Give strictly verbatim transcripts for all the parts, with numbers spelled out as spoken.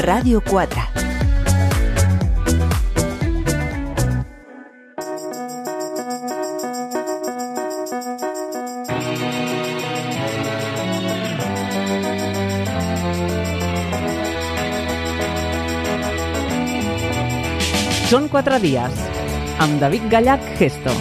Ràdio quatre. Són quatre dies, amb David Gallach Gesto.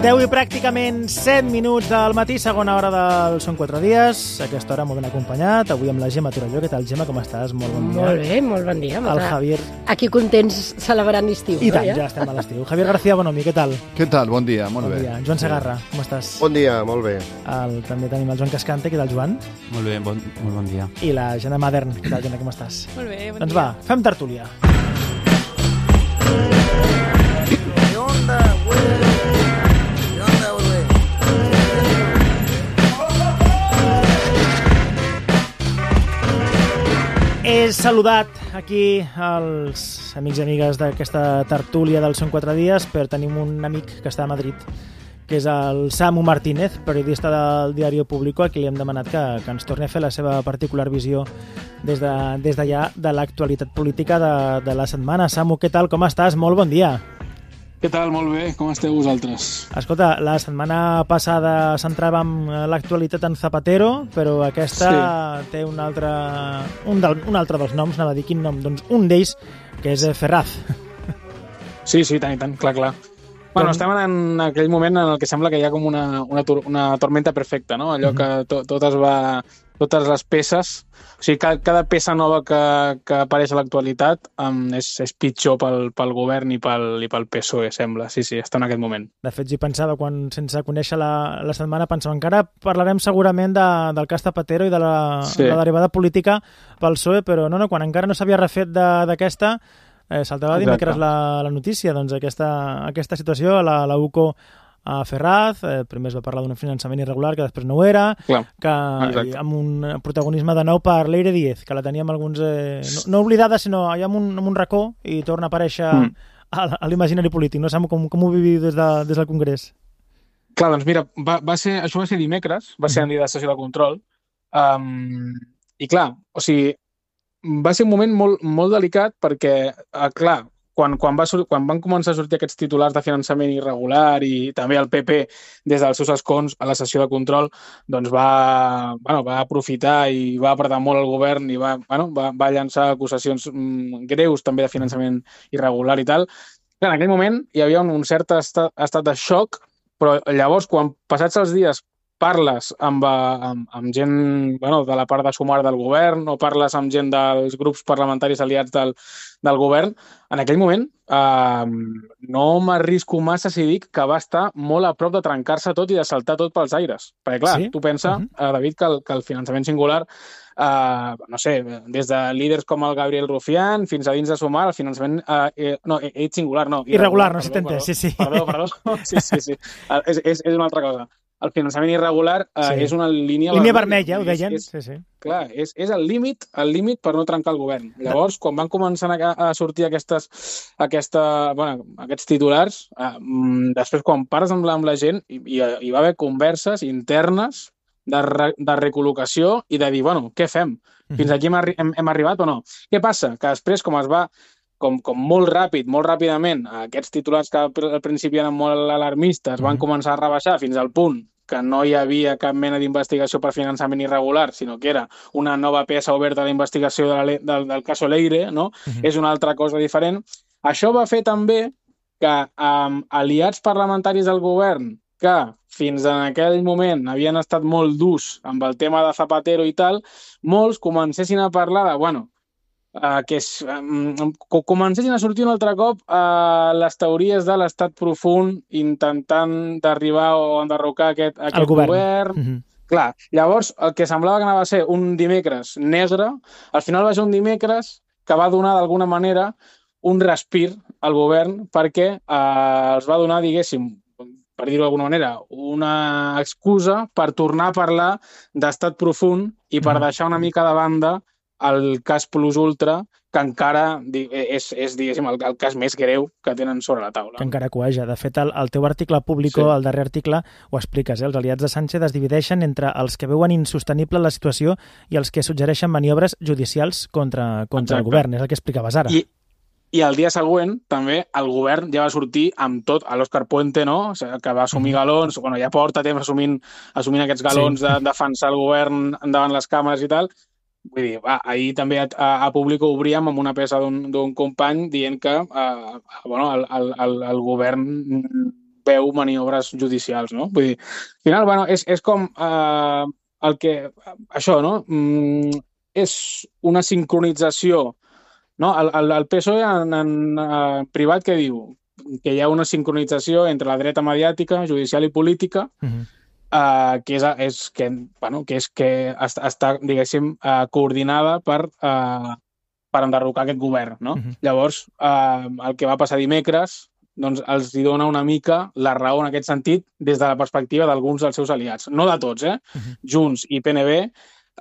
deu i pràcticament set minuts del matí, segona hora del Són quatre dies. A aquesta hora molt ben acompanyat, avui amb la Gemma Torelló. Què tal, Gemma, com estàs? Molt bon dia. Molt bé, molt bon dia. El Javier... Aquí contents celebrant l'estiu. I no, tant, ja? ja estem a l'estiu. Javier García Bonomi, què tal? Què tal? Bon dia, molt bon bé. Dia. Joan Segarra, com estàs? Bon dia, molt bé. El, també tenim el Joan Cascante, què tal, Joan? Molt bé, bon, molt bon dia. I la Jana Madern, què tal, Jana, com estàs? Molt bé, bon doncs dia. va, fem tertúlia. ¿Qué onda, güey? ¿Qué onda, güey? He saludat aquí els amics i amigues d'aquesta tertúlia del Són quatre dies, però tenim un amic que està a Madrid, que és el Samu Martínez, periodista del Diari Público, a qui li hem demanat que, que ens torni a fer la seva particular visió des d'allà de, des de l'actualitat política de, de la setmana. Samu, què tal? Com estàs? Molt bon dia. Què tal? Molt bé. Com esteu vosaltres? Escolta, la setmana passada centràvem l'actualitat en Zapatero, però aquesta sí. té un altre, un, del, un altre dels noms, anava a dir quin nom, doncs un d'ells, que és Ferraz. Sí, sí, tant i tant, clar, clar. Bueno, estem en aquell moment en el que sembla que hi ha com una, una, una tormenta perfecta, no? Allò que to, tot es va... Totes les peces, o sigui, cada, cada peça nova que, que apareix a l'actualitat um, és, és pitjor pel, pel govern i pel, i pel P S O E, sembla. Sí, sí, està en aquest moment. De fet, si pensava, quan sense conèixer la, la setmana, pensava encara parlarem segurament de, del cas Zapatero i de la, sí. la derivada política pel P S O E, però no, no, quan encara no s'havia refet d'aquesta, eh, saltava dimecres la, la notícia, doncs aquesta, aquesta situació, la, la U C O a Ferraz, eh, primer es va parlar d'un finançament irregular que després no ho era, Clar, que exacte. amb un protagonisme de nou per Leire Díez, que la teníem alguns, eh, no, no oblidada, sinó allà en un, en un racó i torna a aparèixer mm. a, a l'imaginari polític. No sabem com, com ho viviu des, de, des del Congrés. Clar, doncs mira, va, va ser, això va ser dimecres, va ser en dia de sessió de control, um, i clar, o sigui, va ser un moment molt, molt delicat perquè, uh, clar, Quan, quan, va, quan van començar a sortir aquests titulars de finançament irregular i també el P P des dels seus escons a la sessió de control, doncs va, bueno, va aprofitar i va apretar molt el govern i va, bueno, va, va llançar acusacions mm, greus també de finançament irregular i tal. Clar, en aquell moment hi havia un, un cert estat, estat de xoc, però llavors quan passats els dies parles amb, amb, amb gent bueno, de la part de sumar del govern o parles amb gent dels grups parlamentaris aliats del, del govern, en aquell moment eh, no m'arrisco massa si dic que va estar molt a prop de trencar-se tot i de saltar tot pels aires. Perquè clar, sí? tu pensa, uh-huh. eh, David, que el, que el finançament singular, eh, no sé, des de líders com el Gabriel Rufián fins a dins de sumar, el finançament... Eh, eh, no, ell singular, no. Irregular, irregular no s'ha entès, sí, sí. Perdó, perdó. Sí, sí, sí. És, és, és una altra cosa. El finançament irregular eh, sí. és una línia... Línia vermella, ho deien. És, sí, sí. Clar, és, és el límit el límit per no trencar el govern. Llavors, quan van començar a, a sortir aquestes, aquesta, bueno, aquests titulars, eh, després quan parles amb la, amb la gent, hi, hi va haver converses internes de, re, de recol·locació i de dir, bueno, què fem? Fins aquí hem, arri hem, hem arribat o no? Què passa? Que després, com es va... Com, com molt ràpid, molt ràpidament, aquests titulars que al principi eren molt alarmistes van començar a rebaixar fins al punt que no hi havia cap mena d'investigació per finançament irregular, sinó que era una nova peça oberta d'investigació de la, del, del cas Leire, no? Uh-huh. És una altra cosa diferent. Això va fer també que amb aliats parlamentaris del govern que fins en aquell moment havien estat molt durs amb el tema de Zapatero i tal, molts comencessin a parlar de, bueno, Uh, que és, um, comencessin a sortir un altre cop uh, les teories de l'estat profund intentant d'arribar o enderrocar aquest, aquest govern. govern. Mm-hmm. Clar, llavors el que semblava que anava a ser un dimecres negre, al final va ser un dimecres que va donar d'alguna manera un respir al govern perquè uh, els va donar, diguéssim, per dir-ho d'alguna manera, una excusa per tornar a parlar d'estat profund i per mm-hmm. deixar una mica de banda el cas plus ultra, que encara és, és diguéssim, el, el cas més greu que tenen sobre la taula. Que encara cueja. De fet, el, el teu article Público, sí. El darrer article, ho expliques, eh? Els aliats de Sánchez es divideixen entre els que veuen insostenible la situació i els que suggereixen maniobres judicials contra, contra el govern. És el que explicaves ara. I, I el dia següent, també, el govern ja va sortir amb tot, a l'Òscar Puente, no? O sigui, que va assumir mm. galons, bueno, ja porta temps assumint, assumint aquests galons sí. de defensar el govern davant les càmeres i tal. Vull dir, va, ahir també a, a, a Público obríem amb una peça d'un company dient que eh, bueno, el, el, el, el govern veu maniobres judicials, no? Vull dir, al final, bueno, és, és com eh, el que... Això, no? Mm, és una sincronització. No? El, el, el P S O E en, en, en privat que diu? Que hi ha una sincronització entre la dreta mediàtica, judicial i política, uh-huh. Uh, que, és, és, que, bueno, que és que està, està diguéssim, uh, coordinada per, uh, per enderrocar aquest govern. No? Uh-huh. Llavors, uh, el que va passar dimecres doncs, els hi dona una mica la raó en aquest sentit des de la perspectiva d'alguns dels seus aliats. No de tots, eh? Uh-huh. Junts i P N B,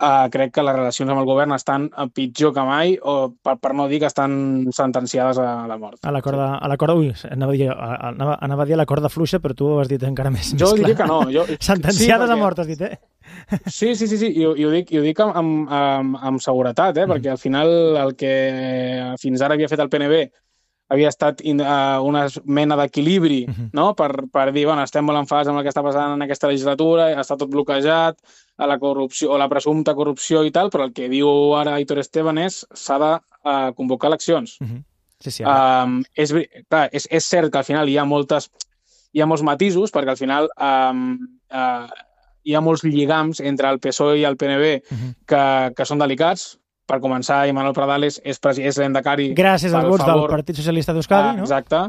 uh, crec que les relacions amb el govern estan pitjor que mai, o per, per no dir que estan sentenciades a la mort. A la corda... A la corda ui, anava a dir, anava, anava a dir a la corda fluixa, però tu ho has dit encara més, jo més clar. Jo diria que no. Jo... Sentenciades sí, perquè... a mort, has dit, eh? Sí, sí, sí, sí. I, i ho dic, i ho dic amb, amb, amb, amb seguretat, eh? Mm. Perquè al final el que fins ara havia fet el P N B havia estat in, uh, una mena d'equilibri, uh-huh. no? per, per dir, bueno, estem molt enfadats amb el que està passant en aquesta legislatura, està tot bloquejat, a la corrupció o la presumpta corrupció i tal, però el que diu ara Aitor Esteban és s'ha de uh, convocar eleccions. Uh-huh. Sí, sí, um, és, clar, és, és cert que al final hi ha moltes hi ha molts matisos, perquè al final um, uh, hi ha molts lligams entre el P S O E i el P N B uh-huh. que, que són delicats. Per començar, Imanol Pradales és, és l'endecari... Gràcies als vots del Partit Socialista d'Euskadi, ah, no? Exacte.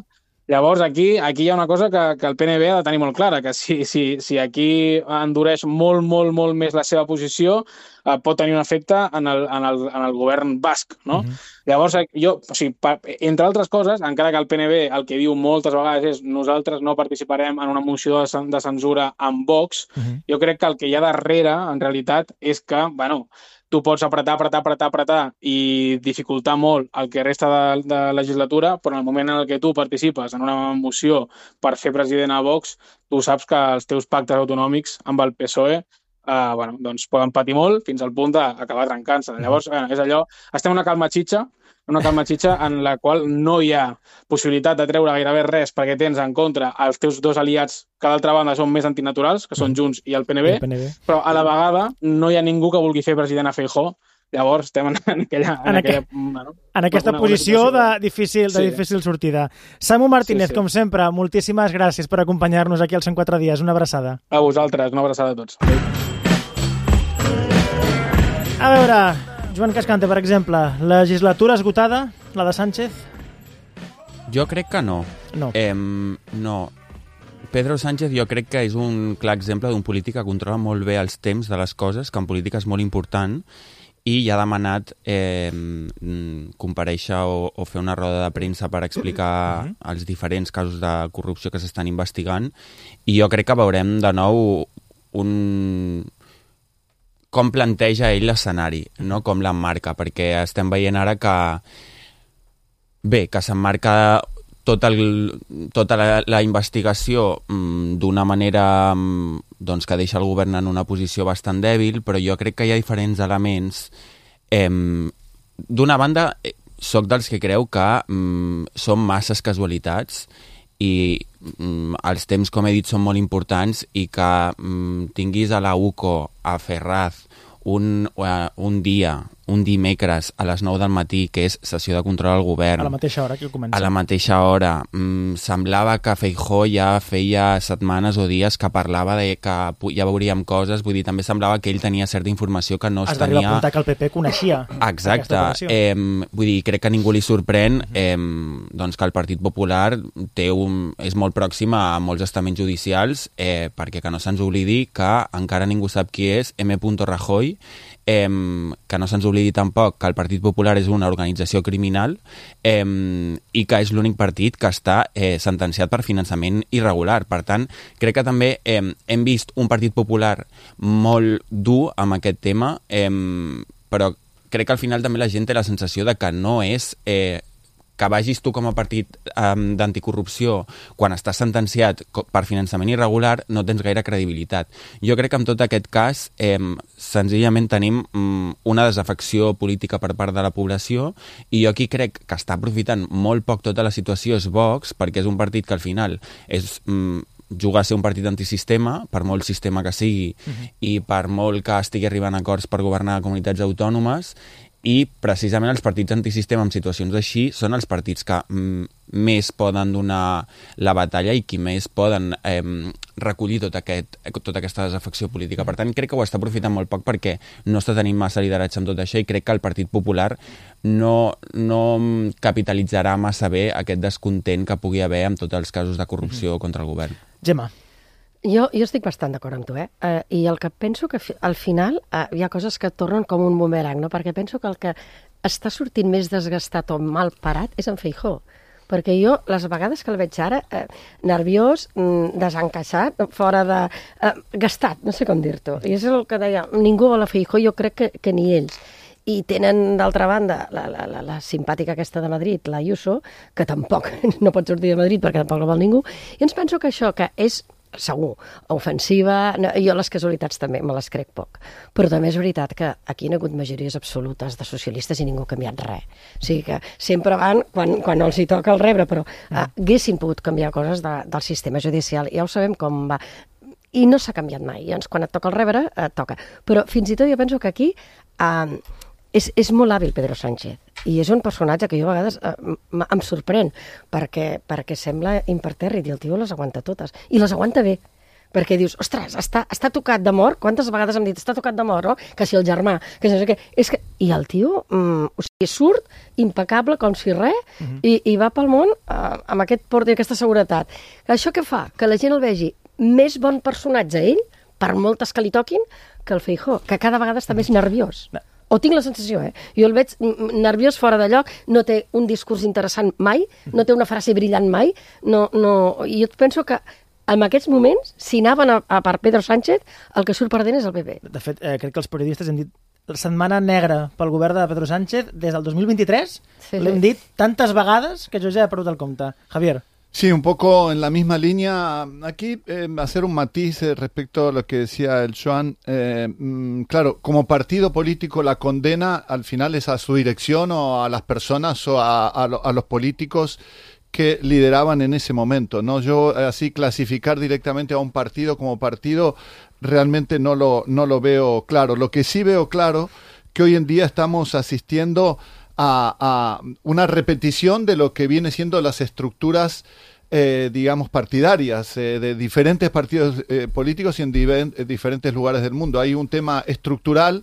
Llavors, aquí aquí hi ha una cosa que, que el P N B ha de tenir molt clara, que si, si, si aquí endureix molt, molt, molt més la seva posició, eh, pot tenir un efecte en el, en el, en el govern basc, no? Uh-huh. Llavors, jo, o sigui, pa, entre altres coses, encara que el P N B el que diu moltes vegades és nosaltres no participarem en una moció de, de censura amb Vox, uh-huh. jo crec que el que hi ha darrere, en realitat, és que, bueno, tu pots apretar, apretar, apretar, apretar i dificultar molt el que resta de, de legislatura, però en el moment en el que tu participes en una moció per fer president a Vox, tu saps que els teus pactes autonòmics amb el P S O E eh, bueno, doncs poden patir molt fins al punt d'acabar trencant-se. Llavors, eh, és allò... Estem en una calma xitxa, una calma xitxa en la qual no hi ha possibilitat de treure gairebé res perquè tens en contra els teus dos aliats que d'altra banda són més antinaturals, que són Junts i el P N B, el P N B, però a la vegada no hi ha ningú que vulgui fer president a Feijóo. Llavors estem en, en aquella... En, en, aquella, aqu... bueno, en aquesta una, posició una de, difícil, de sí. difícil sortida. Samu Martínez, sí, sí. com sempre, moltíssimes gràcies per acompanyar-nos aquí als cent quatre dies. Una abraçada. A vosaltres, una abraçada a tots. A veure... Joan Cascante, per exemple, legislatura esgotada, la de Sánchez? Jo crec que no. No. Eh, no. Pedro Sánchez jo crec que és un clar exemple d'un polític que controla molt bé els temps de les coses, que en política és molt important, i ja ha demanat eh, comparèixer o, o fer una roda de premsa per explicar uh-huh. els diferents casos de corrupció que s'estan investigant, i jo crec que veurem de nou un... com planteja ell l'escenari, no? Com l'emmarca, perquè estem veient ara que bé, que s'emmarca tot el, tota la, la investigació mmm, d'una manera mmm, doncs, que deixa el govern en una posició bastant dèbil, però jo crec que hi ha diferents elements. Eh, d'una banda, soc dels que creu que mmm, són masses casualitats i mm, els temps, com he dit, són molt importants, i que mm, tinguis a la U C O, a Ferraz, un, uh, un dia, un dimecres a les nou del matí, que és sessió de control al govern. A la mateixa hora que comença. A la mateixa hora. Mm, semblava que Feijóo ja feia setmanes o dies que parlava de que ja veuríem coses, vull dir, també semblava que ell tenia certa informació que no es, es tenia... Es va apuntar que el P P coneixia. Exacte. Eh, vull dir, crec que a ningú li sorprèn eh, doncs que el Partit Popular té un, és molt pròxim a molts estaments judicials, eh, perquè que no se'ns oblidi que encara ningú sap qui és M. Rajoy, Eh, que no se'ns oblidi tampoc que el Partit Popular és una organització criminal eh, i que és l'únic partit que està eh, sentenciat per finançament irregular. Per tant, crec que també eh, hem vist un Partit Popular molt dur amb aquest tema, eh, però crec que al final també la gent té la sensació de que no és... Eh, que vagis tu com a partit um, d'anticorrupció quan estàs sentenciat per finançament irregular no tens gaire credibilitat. Jo crec que en tot aquest cas eh, senzillament tenim um, una desafecció política per part de la població i jo aquí crec que està aprofitant molt poc tota la situació és Vox, perquè és un partit que al final és... Um, juga a ser un partit antisistema, per molt sistema que sigui, uh-huh. i per molt que estigui arribant a acords per governar comunitats autònomes, i precisament els partits antisistema en situacions així són els partits que mm, més poden donar la batalla i qui més poden eh, recollir tot aquest, tota aquesta desafecció política. Per tant, crec que ho està aprofitant molt poc perquè no està tenint massa lideratge amb tot això i crec que el Partit Popular no, no capitalitzarà massa bé aquest descontent que pugui haver amb tots els casos de corrupció contra el govern. Gemma. Jo, jo estic bastant d'acord amb tu, eh? Uh, I el que penso que fi, al final uh, hi ha coses que tornen com un bumerang, no? Perquè penso que el que està sortint més desgastat o mal parat és en Feijóo. Perquè jo, les vegades que el veig ara, eh, nerviós, mm, desencaixat, fora de... Eh, gastat, no sé com dir-t'ho. I és el que deia, ningú vol a Feijóo, jo crec que, que ni ells. I tenen, d'altra banda, la, la, la, la simpàtica aquesta de Madrid, la Ayuso, que tampoc no pot sortir de Madrid perquè tampoc no vol ningú. I ens penso que això, que és segur, ofensiva, no, jo les casualitats també me les crec poc, però també és veritat que aquí hi ha hagut majories absolutes de socialistes i ningú ha canviat res. O sigui que sempre van quan, quan els hi toca el rebre, però eh, haguessin pogut canviar coses de, del sistema judicial, ja ho sabem com va, i no s'ha canviat mai, llavors quan et toca el rebre, et toca. Però fins i tot jo penso que aquí eh, és, és molt hàbil Pedro Sánchez, i és un personatge que jo a vegades eh, em sorprèn, perquè, perquè sembla impertèrrit, i el tio les aguanta totes, i les aguanta bé, perquè dius, ostres, està, està tocat de mort, quantes vegades hem dit, està tocat de mort, no? Que si el germà, que si no sé què, és que... I el tio, mm, o sigui, surt impecable, com si res, uh-huh. i, i va pel món eh, amb aquest port i aquesta seguretat. Això què fa? Que la gent el vegi més bon personatge, ell, per moltes que li toquin, que el Feijóo, que cada vegada està més nerviós. No. O tinc la sensació, eh? Jo el veig nerviós fora de lloc, no té un discurs interessant mai, no té una frase brillant mai, no, no... i jo penso que en aquests moments, si anaven a, a per Pedro Sánchez, el que surt perdent és el P P. De fet, eh, crec que els periodistes hem dit la setmana negra pel govern de Pedro Sánchez des del dos mil vint-i-tres, sí, l'hem dit tantes vegades que jo ja he perdut el compte. Javier. Sí, un poco en la misma línea. Aquí eh, hacer un matiz eh, respecto a lo que decía el Joan. Eh, mm, claro, como partido político la condena al final es a su dirección o a las personas o a, a, lo, a los políticos que lideraban en ese momento, ¿no? Yo así clasificar directamente a un partido como partido realmente no lo, no lo veo claro. Lo que sí veo claro que hoy en día estamos asistiendo A, a una repetición de lo que viene siendo las estructuras, eh, digamos, partidarias eh, de diferentes partidos eh, políticos y en diver, eh, diferentes lugares del mundo. Hay un tema estructural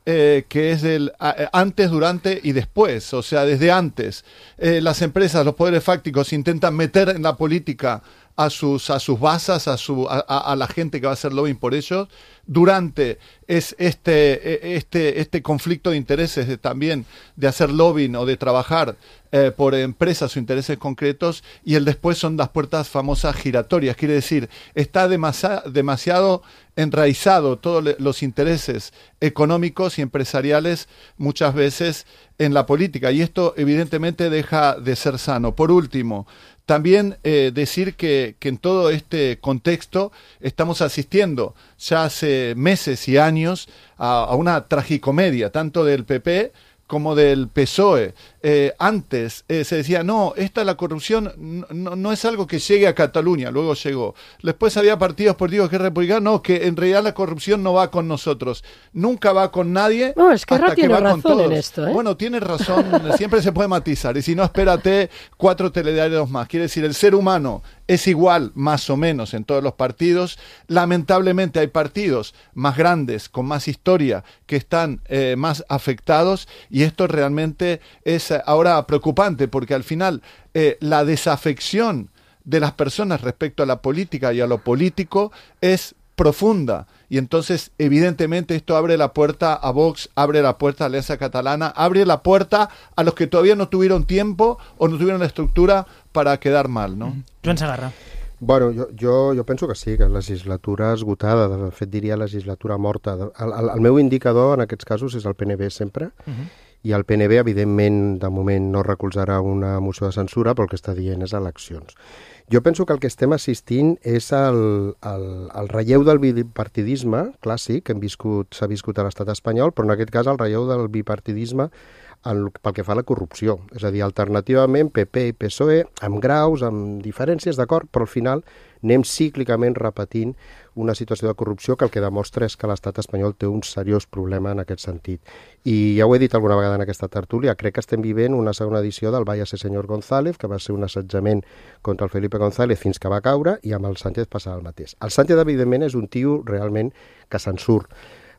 eh, que es el a, antes, durante y después, o sea, desde antes. Eh, las empresas, los poderes fácticos intentan meter en la política a sus, a sus basas, a, su, a, a la gente que va a hacer lobbying por ellos. Durante es este, este, este conflicto de intereses de, también de hacer lobbying o de trabajar eh, por empresas o intereses concretos, y el después son las puertas famosas giratorias. Quiere decir, está demasi- demasiado enraizado todos los intereses económicos y empresariales muchas veces en la política, y esto evidentemente deja de ser sano. Por último, también eh, decir que, que en todo este contexto estamos asistiendo ya hace meses y años a, a una tragicomedia, tanto del P P como del P S O E. Eh, antes eh, se decía, no, esta la corrupción no, no, no es algo que llegue a Cataluña, luego llegó. Después había partidos políticos que republicanos, no, que en realidad la corrupción no va con nosotros, nunca va con nadie. No, es que hasta tiene que va razón con todos. En esto, ¿eh? Bueno, tiene razón, siempre se puede matizar, y si no, espérate cuatro telediarios más. Quiere decir, el ser humano es igual, más o menos, en todos los partidos. Lamentablemente hay partidos más grandes, con más historia, que están eh, más afectados, y esto realmente es ahora preocupante, porque al final eh, la desafección de las personas respecto a la política y a lo político es profunda, y entonces evidentemente esto abre la puerta a Vox, abre la puerta a la Alianza Catalana, abre la puerta a los que todavía no tuvieron tiempo o no tuvieron la estructura para quedar mal, ¿no? Joan Segarra. Bueno, jo, jo, jo penso que sí, que legislatura esgotada, de fet diria legislatura morta. El, el, el meu indicador en aquests casos és el P N B sempre, uh-huh. i el P N B evidentment de moment no recolzarà una moció de censura, però el que està dient és eleccions. Jo penso que el que estem assistint és el, el, el relleu del bipartidisme clàssic que hem viscut, s'ha viscut a l'estat espanyol, però en aquest cas el relleu del bipartidisme el, pel que fa a la corrupció. És a dir, alternativament P P i P S O E, amb graus, amb diferències, d'acord, però al final anem cíclicament repetint una situació de corrupció que el que demostra és que l'estat espanyol té un seriós problema en aquest sentit. I ja ho he dit alguna vegada en aquesta tertúlia, crec que estem vivint una segona edició del Váyase señor González, que va ser un assetjament contra el Felipe González fins que va caure, i amb el Sánchez passava el mateix. El Sánchez, evidentment, és un tio realment que se'n surt.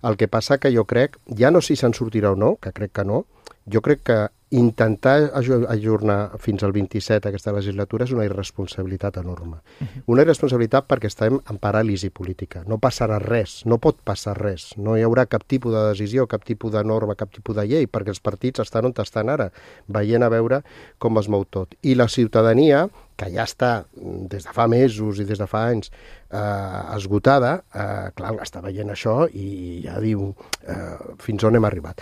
El que passa que jo crec, ja no si se'n sortirà o no, que crec que no, jo crec que intentar ajornar fins al vint-i-set aquesta legislatura és una irresponsabilitat enorme. Uh-huh. Una irresponsabilitat perquè estem en paràlisi política. No passarà res, no pot passar res. No hi haurà cap tipus de decisió, cap tipus de norma, cap tipus de llei, perquè els partits estan on estan ara, veient a veure com es mou tot. I la ciutadania, que ja està des de fa mesos i des de fa anys eh, esgotada, eh, clar, està veient això i ja diu eh, fins on hem arribat.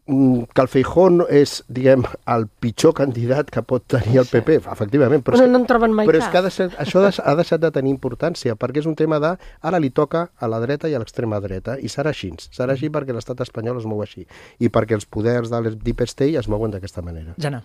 Que el Feijóo és, diguem, el pitjor candidat que pot tenir el P P, efectivament. Però, però no en troben mai però cap. És que ha deixat, això ha deixat de tenir importància, perquè és un tema de, ara li toca a la dreta i a l'extrema dreta, i serà així. Serà així perquè l'estat espanyol es mou així, i perquè els poders de l'Deep State es mouen d'aquesta manera. Jana.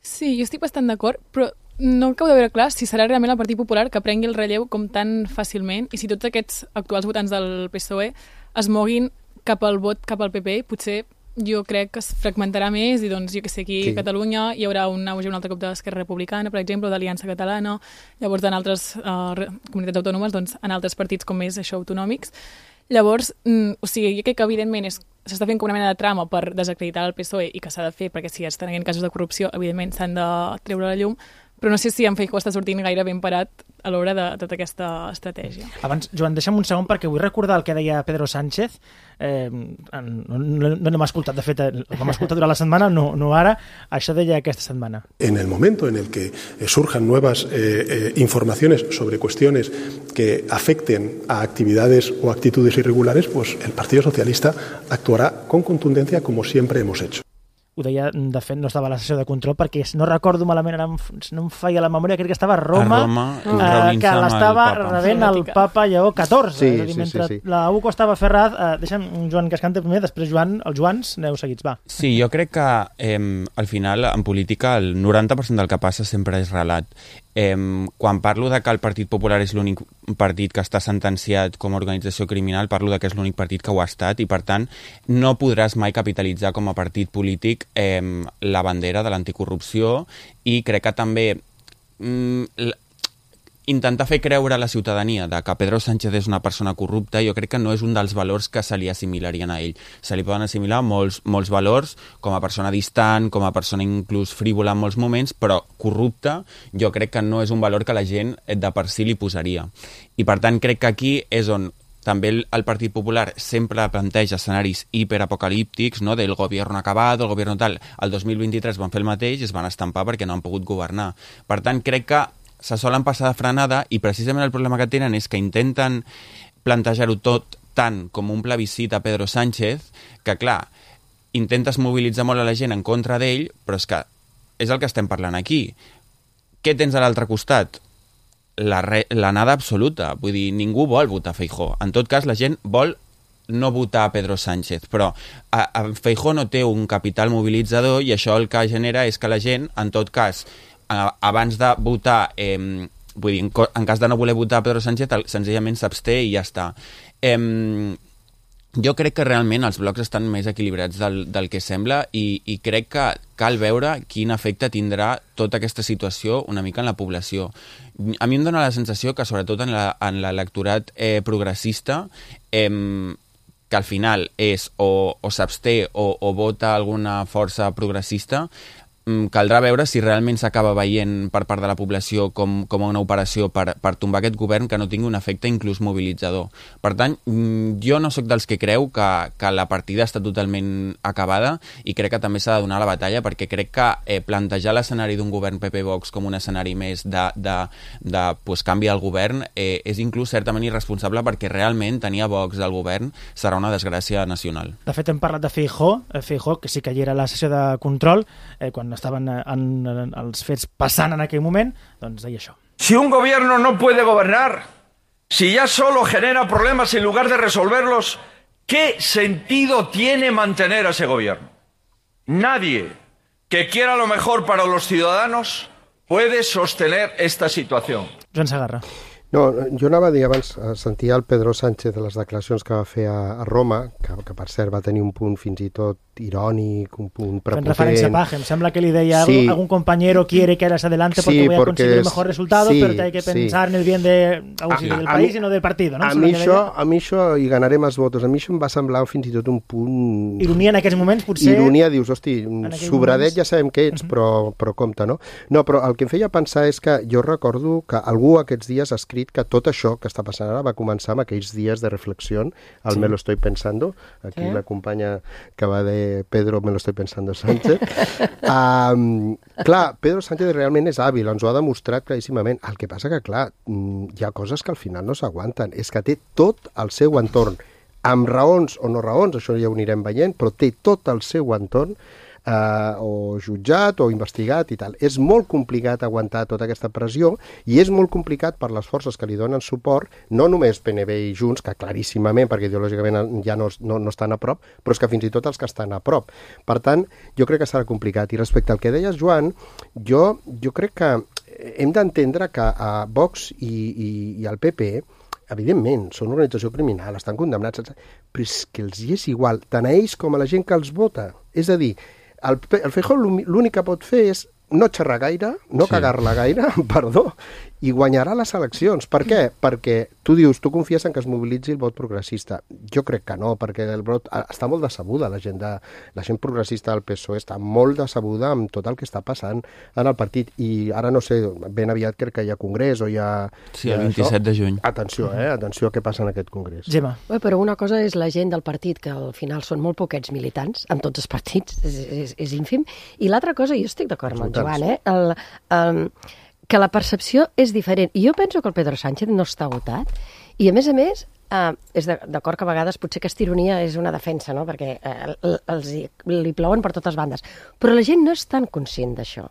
Sí, jo estic bastant d'acord, però no acabo de veure clar si serà realment el Partit Popular que prengui el relleu com tan fàcilment, i si tots aquests actuals votants del P S O E es moguin cap al vot cap al P P, potser jo crec que es fragmentarà més i doncs jo que sé, aquí sí. A Catalunya hi haurà un auge un altre cop d'Esquerra Republicana, per exemple, o d'Aliança Catalana, llavors en altres uh, comunitats autònomes, doncs en altres partits com més això autonòmics. Llavors, mm, o sigui, jo crec que evidentment és, s'està fent com una mena de trama per desacreditar el P S O E i que s'ha de fer, perquè si estan havent casos de corrupció, evidentment s'han de treure a la llum, però no sé si en Feijóo està sortint gaire ben parat a l'hora de tota aquesta estratègia. Abans, Joan, deixa'm un segon perquè vull recordar el que deia Pedro Sánchez. Eh, no no, no l'hem escoltat, de fet, el vam escoltar durant la setmana, no, no ara. Això deia aquesta setmana. En el momento en el que surjan nuevas eh, eh, informaciones sobre cuestiones que afecten a actividades o actitudes irregulares, pues el Partido Socialista actuará con contundencia como siempre hemos hecho. Ho deia, de fet, no estava a la sessió de control perquè no recordo malament, ara no em feia la memòria, crec que estava a Roma, a Roma eh, que l'estava rebent el papa Lleó catorze. Sí, és a dir, mentre sí, sí, sí. la U C O estava Ferraz, eh, deixa'm Joan que es canta primer, després Joan, els Joans, aneu seguits, va. Sí, jo crec que eh, al final, en política, el noranta per cent del que passa sempre és relat. Eh, quan parlo de que el Partit Popular és l'únic partit que està sentenciat com a organització criminal, parlo de que és l'únic partit que ho ha estat i, per tant, no podràs mai capitalitzar com a partit polític eh, la bandera de l'anticorrupció, i crec que també mm, intentar fer creure a la ciutadania de que Pedro Sánchez és una persona corrupta, jo crec que no és un dels valors que se li assimilarien a ell. Se li poden assimilar molts, molts valors, com a persona distant, com a persona inclús frívola en molts moments, però corrupta jo crec que no és un valor que la gent de per si li posaria. I per tant crec que aquí és on també el Partit Popular sempre planteja escenaris hiperapocalíptics, no? Del gobierno acabado, el gobierno tal. El dos mil vint-i-tres van fer el mateix i es van estampar perquè no han pogut governar. Per tant, crec que se solen passar de frenada, i precisament el problema que tenen és que intenten plantejar-ho tot tant com un plebiscit a Pedro Sánchez, que clar, intentes mobilitzar molt a la gent en contra d'ell, però és que és el que estem parlant aquí. Què tens a l'altre costat? La, re, la nada absoluta. Vull dir, ningú vol votar Feijóo. En tot cas, la gent vol no votar a Pedro Sánchez, però a, a Feijóo no té un capital mobilitzador, i això el que genera és que la gent, en tot cas, abans de votar, eh, vull dir, en cas de no voler votar Pedro Sánchez, senzillament s'absté i ja està. Eh, jo crec que realment els blocs estan més equilibrats del, del que sembla, i, i crec que cal veure quin efecte tindrà tota aquesta situació una mica en la població. A mi em dóna la sensació que, sobretot en l'electorat eh, progressista, eh, que al final és o, o s'absté o, o vota alguna força progressista, caldrà veure si realment s'acaba veient per part de la població com, com una operació per, per tombar aquest govern que no tingui un efecte inclús mobilitzador. Per tant, jo no sóc dels que creu que, que la partida està totalment acabada i crec que també s'ha de donar la batalla, perquè crec que eh, plantejar l'escenari d'un govern P P-Vox com un escenari més de, de, de pues, canvi del govern eh, és inclús certament irresponsable, perquè realment tenir a Vox al govern serà una desgràcia nacional. De fet, hem parlat de Feijóo, Feijóo, que sí que hi era a la sessió de control, eh, quan estaven en, en els fets passant en aquell moment, doncs deia això. Si un gobierno no puede gobernar, si ya solo genera problemas en lugar de resolverlos, ¿qué sentido tiene mantener a ese gobierno? Nadie que quiera lo mejor para los ciudadanos puede sostener esta situación. Joan Segarra. No, jo anava a dir abans, sentia el Pedro Sánchez de les declaracions que va fer a, a Roma, que, que per cert va tenir un punt fins i tot irònic, un punt prepotent. En referència a Paje, em sembla que li deia sí. algún compañero quiere que eres adelante porque sí, voy a conseguir el mejor resultado, sí, pero te hay que pensar sí. en el bien de, a, sí, del a país mi, i no del partido. No? A, mi això, a mi això, i ganaré més votos, a mi això em va semblar fins i tot un punt... Ironia en aquests moments, potser... Ironia, dius, hosti, sobradet moments... ja sabem què ets, uh -huh. però, però compte, no? No, però el que em feia pensar és que jo recordo que algú aquests dies ha escrit que tot això que està passant ara va començar amb aquells dies de reflexió, al sí. Me lo estoy pensando, aquí sí. La companya que va de Pedro me lo estoy pensando Sánchez. um, clar, Pedro Sánchez realment és hàbil, ens ho ha demostrat claríssimament. El que passa que, clar, hi ha coses que al final no s'aguanten. És que té tot el seu entorn, amb raons o no raons, això ja ho anirem veient, però té tot el seu entorn Uh, o jutjat o investigat i tal. És molt complicat aguantar tota aquesta pressió i és molt complicat per les forces que li donen suport, no només P N V i Junts, que claríssimament, perquè ideològicament ja no, no, no estan a prop, però és que fins i tot els que estan a prop. Per tant, jo crec que serà complicat. I respecte al que deies, Joan, jo, jo crec que hem d'entendre que a Vox i, i, i al P P evidentment, són una organització criminal, estan condemnats, però és que els hi és igual, tant a ells com a la gent que els vota. És a dir, el, el Feijóo l'únic que pot fer és no xerrar gaire, no sí. cagar-la gaire, perdó, i guanyarà les eleccions. Per què? Perquè tu dius, tu confies en que es mobilitzi el vot progressista. Jo crec que no, perquè el vot està molt decebuda, la gent, de, la gent progressista del P S O E està molt decebuda amb tot el que està passant en el partit. I ara no sé, ben aviat crec que hi ha congrés o hi ha... Sí, el vint-i-set de juny. Atenció, eh? Atenció a què passa en aquest congrés. Gemma. Bé, però una cosa és la gent del partit, que al final són molt poquets militants, en tots els partits, és, és, és ínfim, i l'altra cosa, jo estic d'acord amb el Joan, eh? El, el, que la percepció és diferent. I jo penso que el Pedro Sánchez no està votat i, a més a més, eh, és d'acord que a vegades potser aquesta ironia és una defensa, no? Perquè eh, els, li plouen per totes bandes. Però la gent no és tan conscient d'això.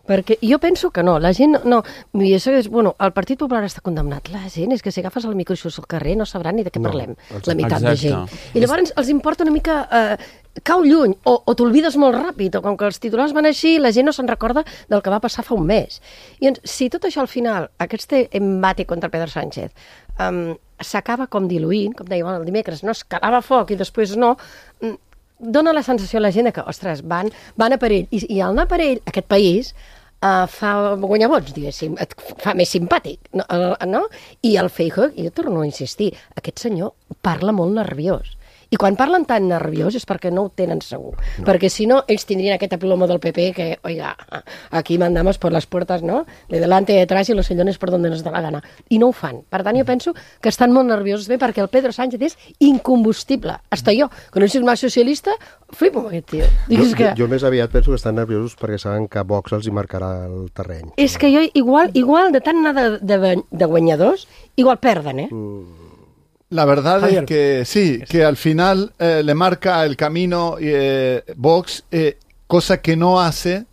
Perquè jo penso que no, la gent no, i això és, bueno, el Partit Popular està condemnat, la gent és que si agafes el micro i surts al carrer no sabran ni de què no, parlem, la meitat exacte. De gent. I llavors els importa una mica, eh, cau lluny, o, o t'olvides molt ràpid, o com que els titulars van així, la gent no se'n recorda del que va passar fa un mes. I doncs, si tot això al final, aquest embate contra Pedro Sánchez, um, s'acaba com diluint, com deia el dimecres, no es calava foc i després no, dona la sensació a la gent que, ostres, van, van a per ell. I, i al anar per ell, aquest país, Uh, fa guanyar vots, diguéssim, et fa més simpàtic, no? no? I el Feijóo, jo torno a insistir, aquest senyor parla molt nerviós. I quan parlen tan nerviós és perquè no ho tenen segur. No. Perquè si no, ells tindrien aquest aplomo del P P que, oiga, aquí mandamos por las puertas, ¿no? De delante, de detrás y los sillones por donde nos da la gana. I no ho fan. Per tant, jo penso que estan molt nerviosos bé perquè el Pedro Sánchez és incombustible. Hasta jo, que no soc més socialista, flipo amb aquest tio. Jo, que... jo, jo més aviat penso que estan nerviosos perquè saben que Vox els hi marcarà el terreny. És que jo, igual, igual de tant anar de, de, de guanyadors, igual perden, eh? Mm. La verdad Javier. Es que sí, que al final eh, le marca el camino eh, Vox, eh, cosa que no hace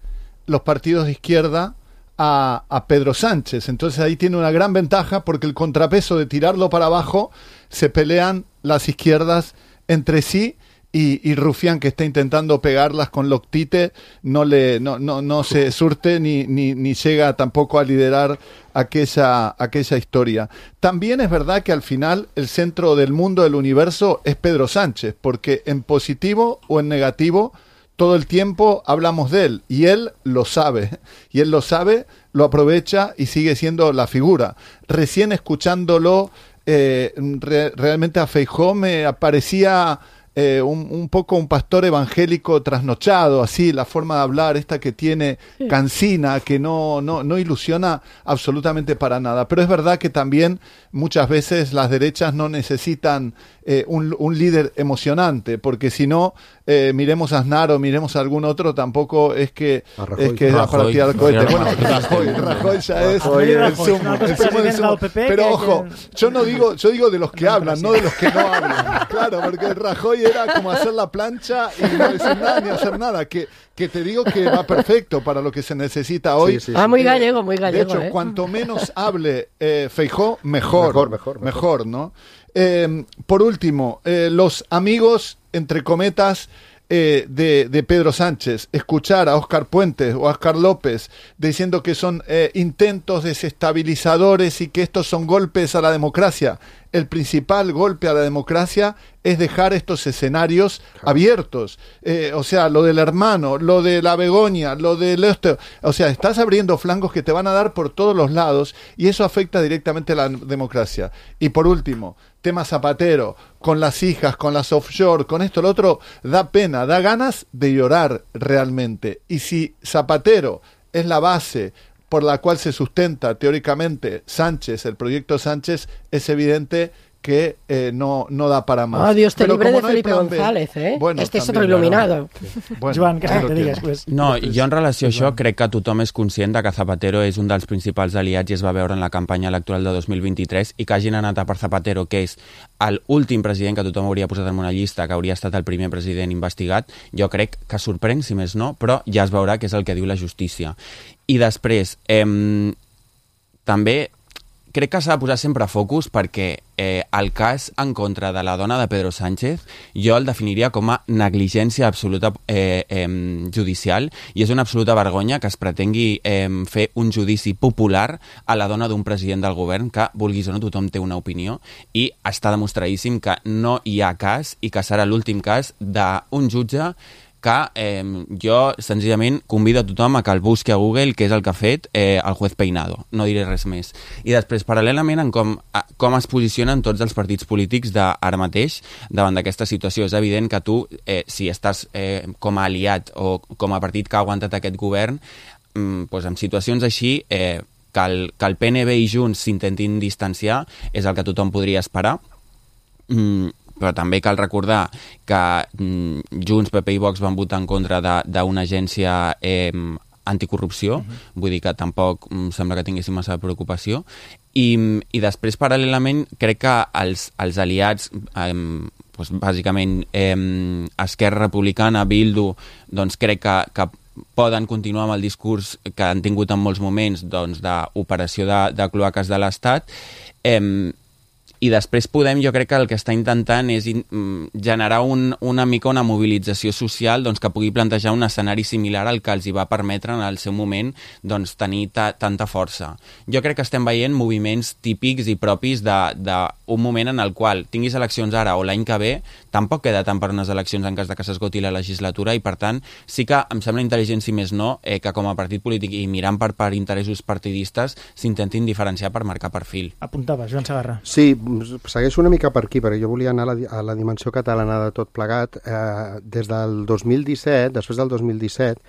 los partidos de izquierda a, a Pedro Sánchez. Entonces ahí tiene una gran ventaja porque el contrapeso de tirarlo para abajo se pelean las izquierdas entre sí. Y, y Rufián, que está intentando pegarlas con Loctite, no le no no no se surte ni ni ni llega tampoco a liderar aquella aquella historia. También es verdad que al final el centro del mundo, del universo, es Pedro Sánchez, porque en positivo o en negativo todo el tiempo hablamos de él y él lo sabe, y él lo sabe, lo aprovecha y sigue siendo la figura. Recién escuchándolo, eh, re, realmente a Feijóo me aparecía eh, un, un poco un pastor evangélico trasnochado, así, la forma de hablar, esta que tiene cansina, que no, no, no ilusiona absolutamente para nada. Pero es verdad que también muchas veces las derechas no necesitan eh, un, un líder emocionante, porque si no, eh, miremos a Aznar o miremos a algún otro, tampoco es que es que es para tirar cohetes. Bueno, Rajoy, Rajoy ya es el sumo, el sumo del sumo. Pero ojo, yo no digo, yo digo de los que hablan, no de los que no hablan. Claro, porque Rajoy era como hacer la plancha y no decir nada ni hacer nada, que que te digo que va perfecto para lo que se necesita hoy. Sí, sí, sí. Ah, muy gallego, muy gallego. De hecho, ¿eh? cuanto menos hable eh, Feijóo, mejor. Mejor, mejor. Mejor, mejor ¿no? Eh, por último, eh, los amigos, entre cometas, eh, de, de Pedro Sánchez, escuchar a Óscar Puentes o a Óscar López diciendo que son eh, intentos desestabilizadores y que estos son golpes a la democracia. El principal golpe a la democracia es dejar estos escenarios abiertos. Eh, o sea, lo del hermano, lo de la Begoña, lo del esto. O sea, estás abriendo flancos que te van a dar por todos los lados y eso afecta directamente a la democracia. Y por último, tema Zapatero, con las hijas, con las offshore, con esto, lo otro, da pena, da ganas de llorar realmente. Y si Zapatero es la base por la cual se sustenta teóricamente Sánchez, el proyecto Sánchez, es evidente que eh, no, no da para más. Oh, Dios te Pero libre de no Felipe González, eh? Bueno, este és també, otro il·luminado. Bueno, Joan, què claro te que digues? no. Pues, No, jo en relació a això crec que tothom és conscient de que Zapatero és un dels principals aliats i es va veure en la campanya electoral de dos mil vint-i-tres i que hagin anat a per Zapatero, que és l'últim president que tothom hauria posat en una llista, que hauria estat el primer president investigat, jo crec que sorprèn, si més no, però ja es veurà que és el que diu la justícia. I després, eh, també crec que s'ha de posar sempre focus perquè eh, el cas en contra de la dona de Pedro Sánchez jo el definiria com a negligència absoluta eh, eh, judicial i és una absoluta vergonya que es pretengui eh, fer un judici popular a la dona d'un president del govern que, vulguis o no, tothom té una opinió i està demostradíssim que no hi ha cas i que serà l'últim cas d'un jutge que eh, jo senzillament convido a tothom a que el busqui a Google, que és el que ha fet eh, el juez Peinado. No diré res més. I després, paral·lelament, en com, a, com es posicionen tots els partits polítics d'ara mateix davant d'aquesta situació. És evident que tu, eh, si estàs eh, com a aliat o com a partit que ha aguantat aquest govern, mm, doncs en situacions així, eh, que, el, que el P N B i Junts s'intentin distanciar és el que tothom podria esperar. Mm, però també cal recordar que mm, Junts, P P i Vox van votar en contra d'una agència eh, anticorrupció, uh-huh. Vull dir que tampoc mm, sembla que tinguéssim massa preocupació, i, i després paral·lelament crec que els, els aliats, eh, doncs, bàsicament eh, Esquerra Republicana, Bildu, doncs crec que, que poden continuar amb el discurs que han tingut en molts moments doncs, d'operació de, de cloaques de l'Estat, eh, i després podem, jo crec que el que està intentant és in, generar un, una mica una mobilització social doncs, que pugui plantejar un escenari similar al que els hi va permetre en el seu moment doncs, tenir ta, tanta força. Jo crec que estem veient moviments típics i propis d'un moment en el qual tinguis eleccions ara o l'any que ve, tampoc queda tant per unes eleccions en cas de que s'esgoti la legislatura i per tant sí que em sembla intel·ligent, si més no, eh, que com a partit polític i mirant per, per interessos partidistes s'intentin diferenciar per marcar perfil. Apuntava, Joan Segarra. Sí, segueixo una mica per aquí, perquè jo volia anar a la, a la dimensió catalana de tot plegat. Eh, des del dos mil disset, després del dos mil disset,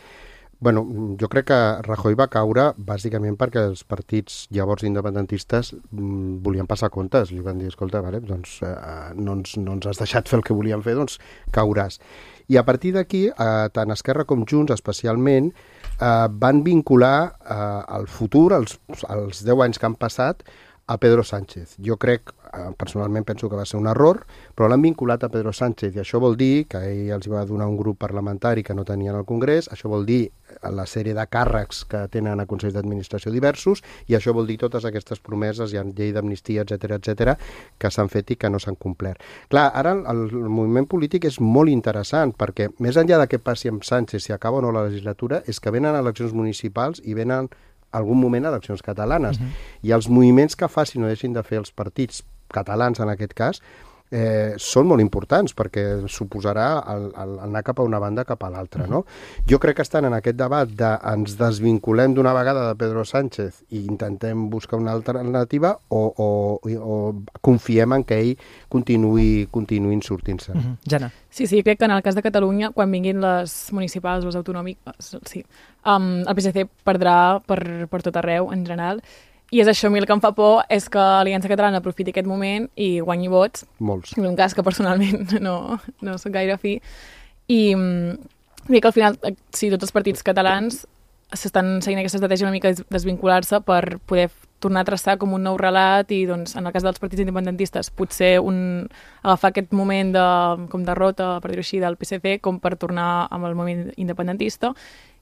bueno, jo crec que Rajoy va caure bàsicament perquè els partits llavors independentistes mm, volien passar comptes. Li van dir, escolta, vale, doncs, eh, no, ens, no ens has deixat fer el que volíem fer, doncs cauràs. I a partir d'aquí, eh, tant Esquerra com Junts, especialment, eh, van vincular eh, el futur, els, els deu anys que han passat, a Pedro Sánchez. Jo crec, personalment penso que va ser un error, però l'han vinculat a Pedro Sánchez i això vol dir que ell els va donar un grup parlamentari que no tenien al Congrés, això vol dir la sèrie de càrrecs que tenen a Consells d'Administració diversos i això vol dir totes aquestes promeses, hi ha llei d'amnistia, etcètera, etcètera, que s'han fet i que no s'han complert. Clar, ara el, el moviment polític és molt interessant perquè més enllà de què passi amb Sánchez, si acaba o no la legislatura, és que venen eleccions municipals i venen algun moment eleccions catalanes. Uh-huh. I els moviments que facin o deixin de fer els partits catalans, en aquest cas, eh, són molt importants perquè suposarà el, el anar cap a una banda cap a l'altra, no? Jo crec que estan en aquest debat de ens desvinculem d'una vegada de Pedro Sánchez i intentem buscar una alternativa o, o, o confiem en que ell continuï, continuïn sortint-se. Uh-huh. Jana. Sí, sí, crec que en el cas de Catalunya, quan vinguin les municipals o les autonòmiques, sí, um, el P S C perdrà per, per tot arreu, en general. I és això, a mi el que em fa por és que l'Aliança Catalana aprofiti aquest moment i guanyi vots. Molts. En un cas que personalment no, no soc gaire fi. I crec que al final, sí, tots els partits catalans s'estan seguint aquesta estratègia una mica de desvincular-se per poder tornar a traçar com un nou relat i, doncs, en el cas dels partits independentistes, potser un, agafar aquest moment de com derrota, per dir-ho així, del P S C com per tornar amb el moment independentista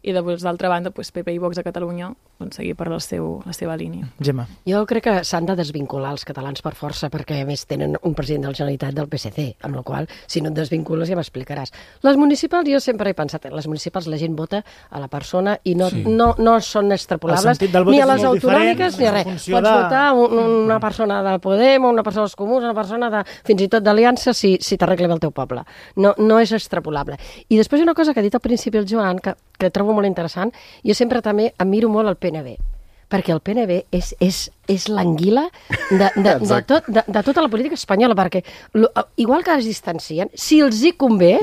i, d'altra banda, doncs, P P i Vox a Catalunya doncs, seguir per la, seu, la seva línia. Gemma. Jo crec que s'han de desvincular els catalans per força perquè, a més, tenen un president de la Generalitat del P S C, amb la qual si no et desvincules ja m'explicaràs. Les municipals, jo sempre he pensat, les municipals la gent vota a la persona i no, sí. no, no són extrapolables ni a les autonòmiques ni a res. Pots de... votar un, una persona de Podem, una persona dels Comuns, una persona de, fins i tot d'Aliança si, si t'arregla bé el teu poble. No, no és extrapolable. I després una cosa que ha dit al principi el Joan, que, que trobo molt interessant, jo sempre també admiro molt el P N B, perquè el P N B és, és, és l'anguila de, de, de, tot, de, de tota la política espanyola, perquè lo, igual que es distancien, si els hi convé,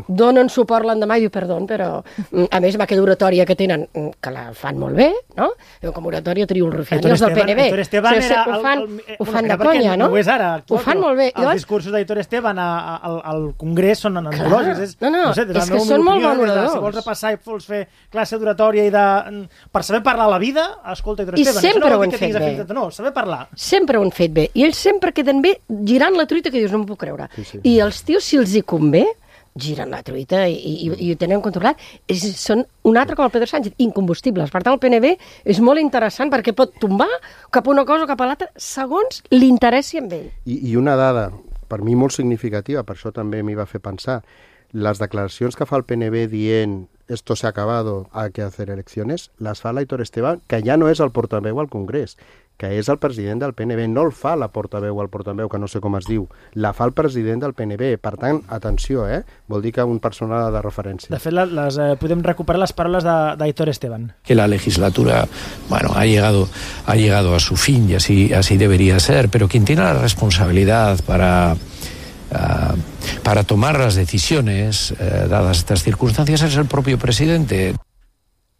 donen suport l'endemà i diu, perdó, però a més amb aquella oratòria que tenen, que la fan molt bé, no? Com oratòria trio el Rufián, els del P N B. Héctor Esteban era... Ho fan, el, el, ho fan de conya, no? No ho és ara. Ho fan molt bé. Els discursos d'Héctor Esteban al, al Congrés són antològics. No, no, és que són molt bons oradors. Si vols repassar i vols fer classe d'oratòria i de... per saber parlar a la vida, escolta Héctor Esteban. I sempre ho han fet bé. No, saber parlar. Sempre ho han fet bé. I ells sempre queden bé girant la truita que dius, no m'ho puc creure. Sí, sí. I els tios, si els hi convé, giren la truita i, i, i ho tenen controlat. És, són un altre com el Pedro Sánchez, incombustibles. Per tant, el P N B és molt interessant perquè pot tombar cap a una cosa o cap a l'altra segons l'interessi amb ell. I, I una dada, per mi molt significativa, per això també m'hi va fer pensar, les declaracions que fa el P N B dient esto se ha acabado, hay que hacer elecciones, las fa l'Héctor Esteban, que ja no és el portaveu al Congrés, que és el president del P N B, no el fa la portaveu al portaveu, que no sé com es diu, la fa el president del P N B. Per tant, atenció, eh? Vol dir que un personal de referència. De fet, les, eh, podem recuperar les paraules d'Héctor Esteban. Que la legislatura, bueno, ha llegado, ha llegado a su fin y así, así debería ser, pero quien tiene la responsabilidad para... Uh, para tomar las decisiones uh, dadas estas circunstancias es el propio presidente.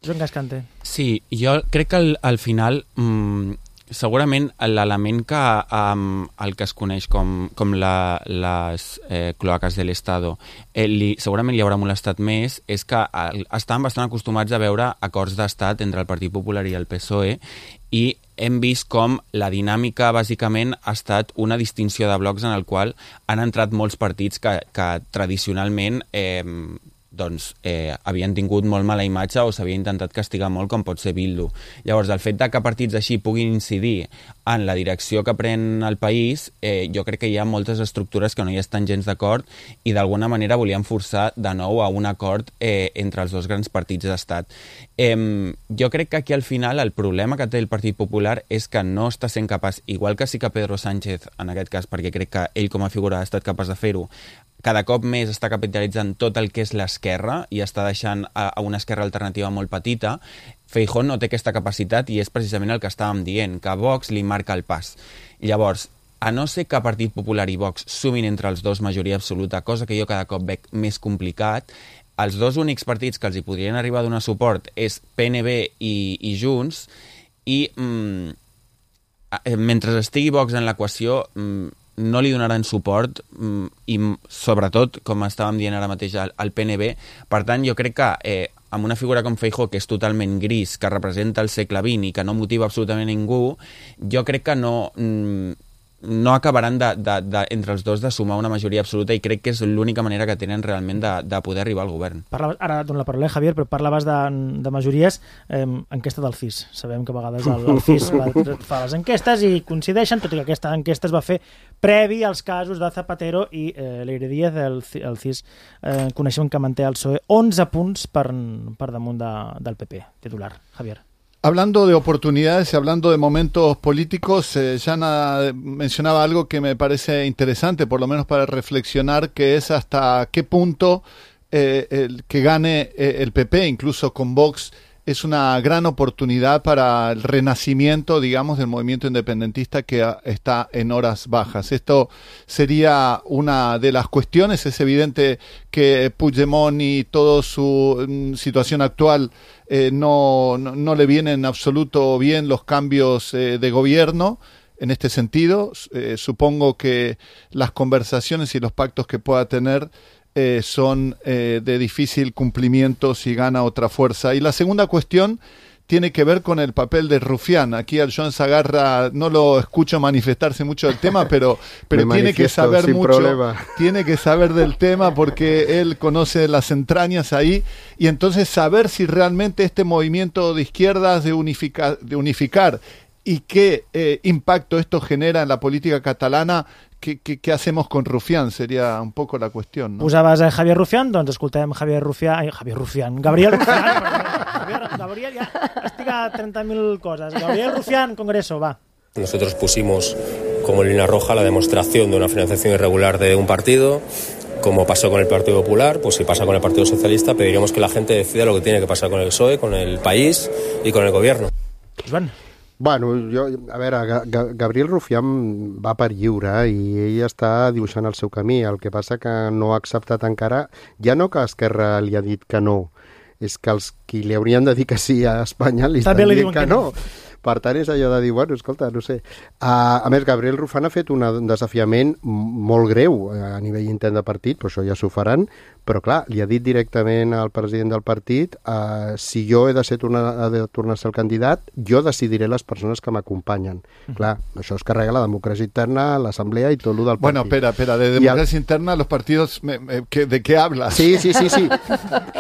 Joan Gascante. Sí, jo crec que al, al final mmm, segurament l'element que um, el que es coneix com, com la, les eh, cloaques de l'Estado eh, li, segurament li haurà molestat més és que el, estan bastant acostumats a veure acords d'estat entre el Partit Popular i el P S O E i hem vist com la dinàmica bàsicament ha estat una distinció de blocs en el qual han entrat molts partits que, que tradicionalment eh, doncs, eh, havien tingut molt mala imatge o s'havia intentat castigar molt, com pot ser Bildu. Llavors, el fet de que partits així puguin incidir en la direcció que pren el país, eh, jo crec que hi ha moltes estructures que no hi estan gens d'acord i d'alguna manera volien forçar de nou a un acord eh, entre els dos grans partits d'estat. Eh, jo crec que aquí al final el problema que té el Partit Popular és que no està sent capaç, igual que sí que Pedro Sánchez, en aquest cas, perquè crec que ell com a figura ha estat capaç de fer-ho, cada cop més està capitalitzant tot el que és l'esquerra i està deixant a, a una esquerra alternativa molt petita. Feijóo no té aquesta capacitat i és precisament el que estàvem dient, que Vox li marca el pas. Llavors, a no ser que Partit Popular i Vox sumin entre els dos majoria absoluta, cosa que jo cada cop veig més complicat, els dos únics partits que els hi podrien arribar a donar suport és P N B i, i Junts, i mm, mentre estigui Vox en l'equació, mm, no li donaran suport i sobretot, com estàvem dient ara mateix, al P N B. Per tant, jo crec que eh, amb una figura com Feijóo, que és totalment gris, que representa el segle vint i que no motiva absolutament ningú, jo crec que no, no acabaran de, de, de, entre els dos de sumar una majoria absoluta i crec que és l'única manera que tenen realment de, de poder arribar al govern. Parlaves, ara dono la paraula a Javier, però parlaves de, de majories, eh, enquesta del C I S. Sabem que a vegades el, el C I S va, fa les enquestes i coincideixen, tot i que aquesta enquesta es va fer previ als casos de Zapatero i eh, Leire Díaz, el, el C I S. Eh, coneixem que manté el P S O E onze punts per, per damunt de, del P P, titular. Javier. Hablando de oportunidades y hablando de momentos políticos, eh, Jana mencionaba algo que me parece interesante, por lo menos para reflexionar, que es hasta qué punto eh, el que gane eh, el P P, incluso con Vox, es una gran oportunidad para el renacimiento, digamos, del movimiento independentista que a, está en horas bajas. Esto sería una de las cuestiones. Es evidente que Puigdemont y toda su mm, situación actual eh, no, no, no le vienen en absoluto bien los cambios eh, de gobierno. En este sentido, eh, supongo que las conversaciones y los pactos que pueda tener Eh, son eh, de difícil cumplimiento si gana otra fuerza. Y la segunda cuestión tiene que ver con el papel de Rufián. Aquí al Joan Sagarra no lo escucho manifestarse mucho del tema, pero, pero tiene que saber mucho, problema. tiene que saber del tema porque él conoce las entrañas ahí, y entonces saber si realmente este movimiento de izquierdas de, unifica, de unificar y qué eh, impacto esto genera en la política catalana. ¿Qué, qué, ¿Qué hacemos con Rufián? Sería un poco la cuestión, ¿no? Posaves a Javier Rufián, doncs escoltem Javier Rufián... Ai, Javier Rufián, Gabriel Rufián. Javier, Gabriel, ja estic a treinta mil coses. Gabriel Rufián, Congreso, va. Nosotros pusimos como línea roja la demostración de una financiación irregular de un partido. Como pasó con el Partido Popular, pues si pasa con el Partido Socialista, pediríamos que la gente decida lo que tiene que pasar con el P S O E, con el país y con el gobierno. Joan. Bueno, jo, a veure, Gabriel Rufián va per lliure i ell està dibuixant el seu camí. El que passa que no ha acceptat encara, ja no que Esquerra li ha dit que no, és que els qui li haurien de dir que sí a Espanya li estan dient que no. Per tant, és allò de dir, bueno, escolta, no sé. Uh, a més, Gabriel Rufián ha fet una, un desafiament molt greu a nivell intern de partit, però això ja s'ho faran, però clar, li ha dit directament al president del partit uh, si jo he de, ser tornar, he de tornar a ser el candidat, jo decidiré les persones que m'acompanyen. Mm. Clar, això es carrega la democràcia interna, l'assemblea i tot el del partit. Bueno, espera, espera, de democràcia el... interna los partidos, me, me, que, ¿de qué hablas? Sí, sí, sí, sí.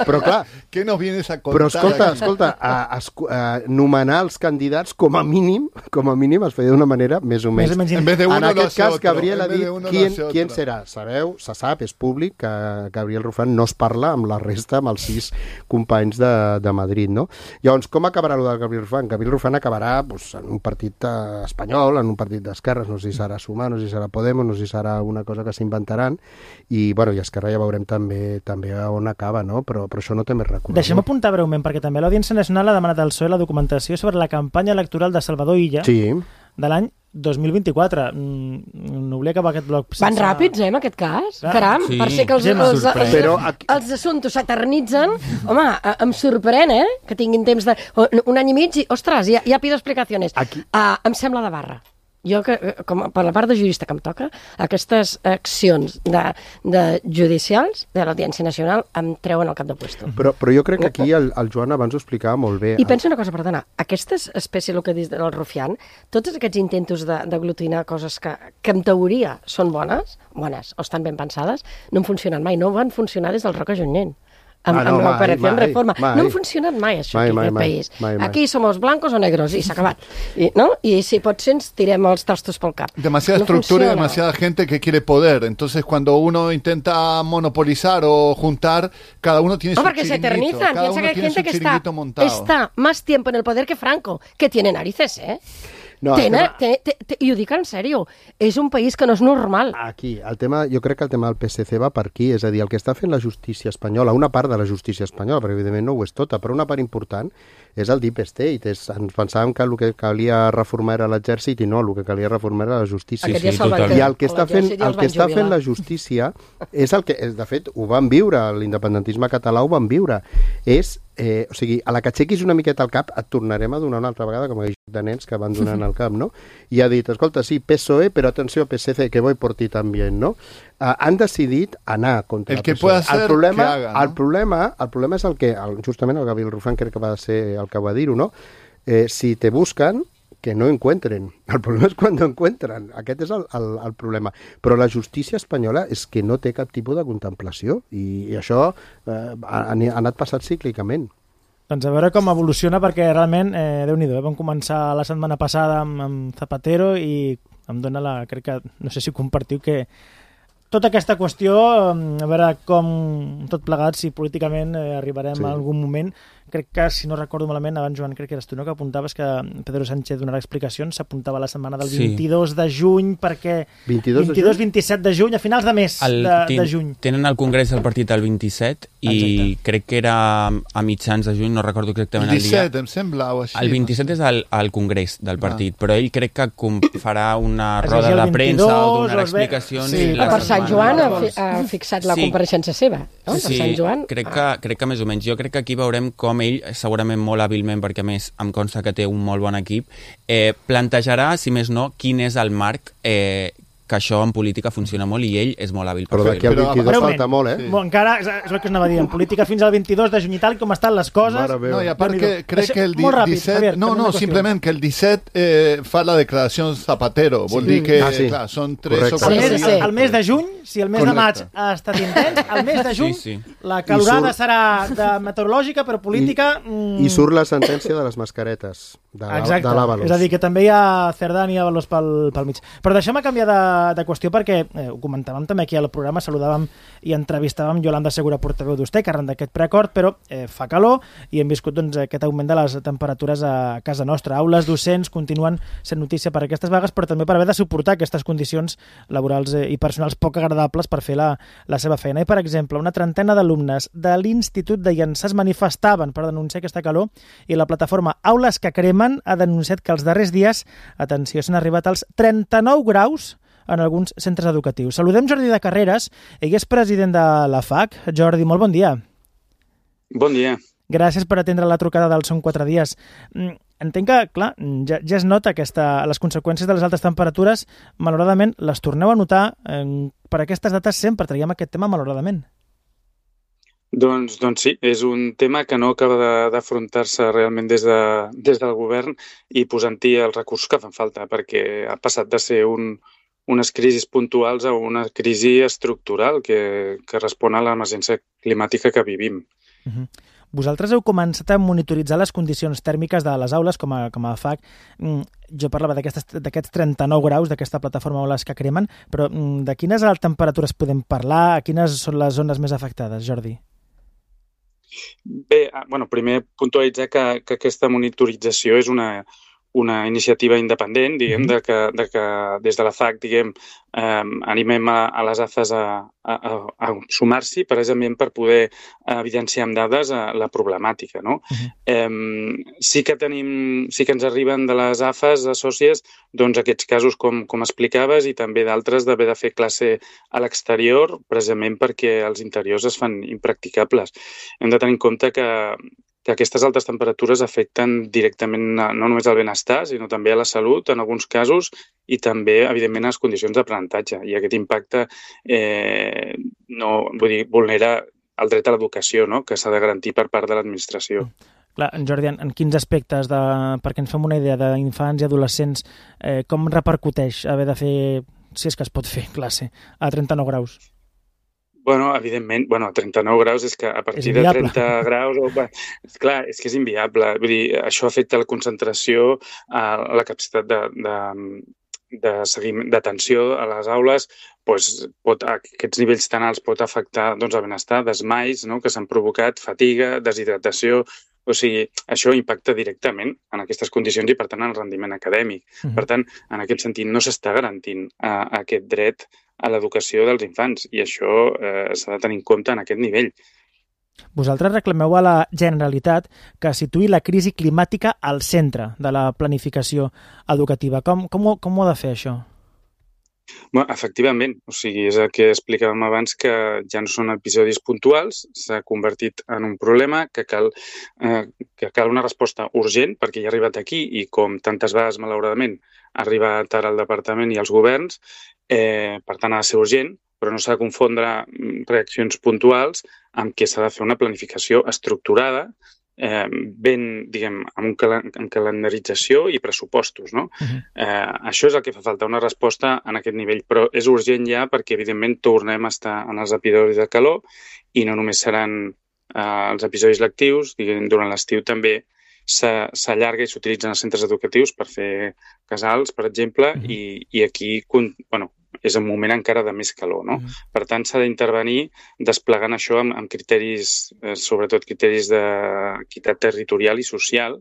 Però clar... Què nos vienes a contar? Però escolta, aquí? escolta, a, a, a nomenar els candidats com a mínim, com a mínim es feia d'una manera més o menys. En, vez de uno en aquest cas, otro. Gabriel ha dit qui, qui otro. serà. Sabeu, se sap, és públic que Gabriel Rufián no es parla amb la resta, amb els sis companys de, de Madrid, no? Llavors, com acabarà el de Gabriel Rufián? Gabriel Rufián acabarà pues, en un partit eh, espanyol, en un partit d'esquerres, no sé si serà Sumar, no sé si serà Podemos, no sé si serà una cosa que s'inventaran, i, bueno, i Esquerra ja veurem també també on acaba, no? Però, però això no té més recorregut. Deixem apuntar breument, perquè també l'Audiència Nacional ha demanat al P S O E la documentació sobre la campanya electoral de Salvador Illa sí. de l'any dos mil vint-i-quatre. Mm, no volia acabar aquest bloc. Van ràpids, eh, en aquest cas? Ah, Caram, sí. Per ser que els, els, els, els, Però aquí... els assumptes s'eternitzen. Home, em sorprèn, eh, que tinguin temps de... Un any i mig i, ostres, ja, ja pido explicacions. Aquí... Uh, em sembla de barra. Jo, que, com per la part de jurista que em toca, aquestes accions de, de judicials de l'Audiència Nacional em treuen el cap de puesto. Però, però jo crec que aquí el, el Joan abans ho explicava molt bé. I penso una cosa, perdona, aquestes espècies, el que dius del Rufián, tots aquests intentos d'aglutinar coses que, que en teoria són bones, bones o estan ben pensades, no han funcionat mai, no van funcionar des del Roca Junyent. Amb, ah, no, amb l'operació en reforma. Mai. No ha funcionat mai això mai, aquí, mai, aquest mai, país. Mai, mai. Aquí somos blancos o negros i s'ha acabat. I, ¿no? I si pot ser ens tirem els tastos pel cap. Demasiada no estructura funciona. Y demasiada gente que quiere poder. Entonces cuando uno intenta monopolizar o juntar, cada uno tiene no, su chiringuito. No, porque se eternizan. Cada Piensa uno que hay tiene gente que está, montado. está más tiempo en el poder que Franco, que tiene narices, ¿eh? No, Tena, tema... te, te, te, I ho dic en sèrio, és un país que no és normal. Aquí, el tema, jo crec que el tema del P S C va per aquí, és a dir, el que està fent la justícia espanyola, una part de la justícia espanyola, perquè evidentment no ho és tota, però una part important és el Deep State. És, ens pensàvem que el que calia reformar era l'exèrcit i no, el que calia reformar era la justícia. Sí, sí, I el que està fent, el que està fent la justícia és el que, de fet, ho van viure, l'independentisme català ho van viure, és Eh, o sigui, a la que aixequis una miqueta al cap et tornarem a donar una altra vegada com aquells de nens que van donant al cap, no? I ha dit, escolta, sí, P S O E, però atenció, P S C, que voy por ti també, no? Uh, han decidit anar contra el el que P S O E. Hacer, el, problema, que haga, ¿no? el, problema, el problema és el que, el, justament el Gabriel Rufián crec que va ser el que va dir-ho, no? Eh, si te buscan, que no encuentren. El problema és quan no encuentren. Aquest és el, el, el problema. Però la justícia espanyola és que no té cap tipus de contemplació i, i això eh, ha, ha anat passat cíclicament. Doncs a veure com evoluciona, perquè realment, eh, Déu-n'hi-do, eh? Vam començar la setmana passada amb, amb Zapatero i em dóna la... crec que, no sé si compartiu, que tota aquesta qüestió, a veure com tot plegat, si políticament eh, arribarem sí. a algun moment. Crec que, si no recordo malament, abans, Joan, crec que eres tu, no?, que apuntaves que Pedro Sánchez donarà explicacions, s'apuntava la setmana del vint-i-dos de juny, perquè vint-i-dos vint-i-dos-vint-set de juny, a finals de mes el, de, de juny. Tenen el congrés del partit el vint-i-set i Exacte. crec que era a mitjans de juny, no recordo exactament el, el dia. El disset, em sembla, o així. El vint-i-set és el, el congrés del partit, ah. però ell crec que com farà una roda de premsa o donarà explicacions. Sí, per Sant Joan ha, fi, ha fixat la sí. compareixença seva, no? Sí, per Sant Joan. Crec que, crec que més o menys. Jo crec que aquí veurem com ell, segurament molt hàbilment, perquè a més em consta que té un molt bon equip, eh, plantejarà, si més no, quin és el marc eh, que això en política funciona molt i ell és molt hàbil per fer-ho. Però d'aquí al vint-i-dos falta molt, eh? Sí. Bon, encara, és el que us anava a dir, en política fins al vint-i-dos de juny i tal, com estan les coses... No, i a part que crec que el disset... No, no, simplement que el disset eh, fa la declaració Zapatero. Vol sí. dir que, ah, sí. clar, són tres o quatre dies. El mes de juny, si el mes Correcte. de maig ha estat intens, el mes de juny sí, sí. la calorada surt... serà de meteorològica, però política... I, mm... I surt la sentència de les mascaretes, de l'Àvalos. És a dir, que també hi ha Cerdà i Àvalos pel, pel mig. Però deixem-me canviar de, de qüestió perquè eh, ho comentàvem també aquí al programa, saludàvem i entrevistàvem Yolanda Segura, portaveu d'Usté, que arran d'aquest preacord, però eh, fa calor i hem viscut doncs, aquest augment de les temperatures a casa nostra. Aules docents continuen sent notícia per aquestes vagues, però també per haver de suportar aquestes condicions laborals eh, i personals poc agradables per fer la, la seva feina. I, per exemple, una trentena d'alumnes de l'Institut de Llançà es manifestaven per denunciar aquesta calor i la plataforma Aules que Cremen ha denunciat que els darrers dies, atenció, s'han arribat als trenta-nou graus en alguns centres educatius. Saludem Jordi de Carreras, ell és president de la F A C. Jordi, molt bon dia. Bon dia. Gràcies per atendre la trucada del Són quatre dies. Entenc que, clar, ja, ja es nota aquesta, les conseqüències de les altes temperatures, malauradament, les torneu a notar. Eh, per aquestes dates sempre traiem aquest tema, malauradament. Doncs, doncs sí, és un tema que no acaba d'afrontar-se realment des, de, des del govern i posant-hi els recursos que fan falta, perquè ha passat de ser un unes crisis puntuals a una crisi estructural que, que respon a l'emergència climàtica que vivim. Uh-huh. Vosaltres heu començat a monitoritzar les condicions tèrmiques de les aules com a, com a F A C. Jo parlava d'aquests trenta-nou graus d'aquesta plataforma Aules que Cremen, però de quines temperatures podem parlar? Quines són les zones més afectades, Jordi? Bé, bueno, primer puntualitzar que, que aquesta monitorització és una... una iniciativa independent, diguem, de que, de que des de la F A C, diguem, eh, animem a, a les A F Es a, a, a sumar-s'hi precisament per poder evidenciar amb dades la problemàtica, no? Uh-huh. eh, sí que tenim, sí que ens arriben de les A F Es assòcies, doncs aquests casos com, com explicaves i també d'altres d'haver de fer classe a l'exterior precisament perquè els interiors es fan impracticables. Hem de tenir en compte que que aquestes altes temperatures afecten directament no només al benestar, sinó també a la salut, en alguns casos, i també, evidentment, a les condicions d'aprenentatge. I aquest impacte eh, no, vull dir, vulnera el dret a l'educació, no?, que s'ha de garantir per part de l'administració. Clar, Jordi, en quins aspectes, de, perquè ens fem una idea d'infants i adolescents, eh, com repercuteix haver de fer, si és que es pot fer, classe a trenta-nou graus? Bueno, evidentment, bueno, trenta-nou graus és que a partir de trenta graus... Oh, bueno, és clar, és que és inviable. Vull dir, això afecta la concentració, a la capacitat de, de, de seguiment, d'atenció a les aules, doncs pot, aquests nivells tan alts pot afectar doncs, el benestar, desmais, no?, que s'han provocat, fatiga, deshidratació... O sigui, això impacta directament en aquestes condicions i, per tant, en el rendiment acadèmic. Uh-huh. Per tant, en aquest sentit, no s'està garantint uh, aquest dret a l'educació dels infants i això eh, s'ha de tenir en compte en aquest nivell. Vosaltres reclameu a la Generalitat que situï la crisi climàtica al centre de la planificació educativa. Com, com, ho, com ho ha de fer, això? Bueno, efectivament, o sigui, és el que explicàvem abans, que ja no són episodis puntuals, s'ha convertit en un problema que cal, eh, que cal una resposta urgent, perquè ja ha arribat aquí i com tantes vegades, malauradament, ha arribat ara al departament i als governs, eh, per tant ha de ser urgent, però no s'ha de confondre reaccions puntuals amb què s'ha de fer una planificació estructurada, Eh, ben, diguem, amb, un cal amb calendarització i pressupostos, no? Uh-huh. eh, això és el que fa falta, una resposta en aquest nivell, però és urgent ja perquè, evidentment, tornem a estar en els episodis de calor i no només seran eh, els episodis lectius, diguem, durant l'estiu també s'allarga i s'utilitzen els centres educatius per fer casals, per exemple, uh-huh. i, i aquí, bueno, és un moment encara de més calor, no? Mm. Per tant, s'ha d'intervenir desplegant això amb, amb criteris, eh, sobretot criteris d'equitat territorial i social,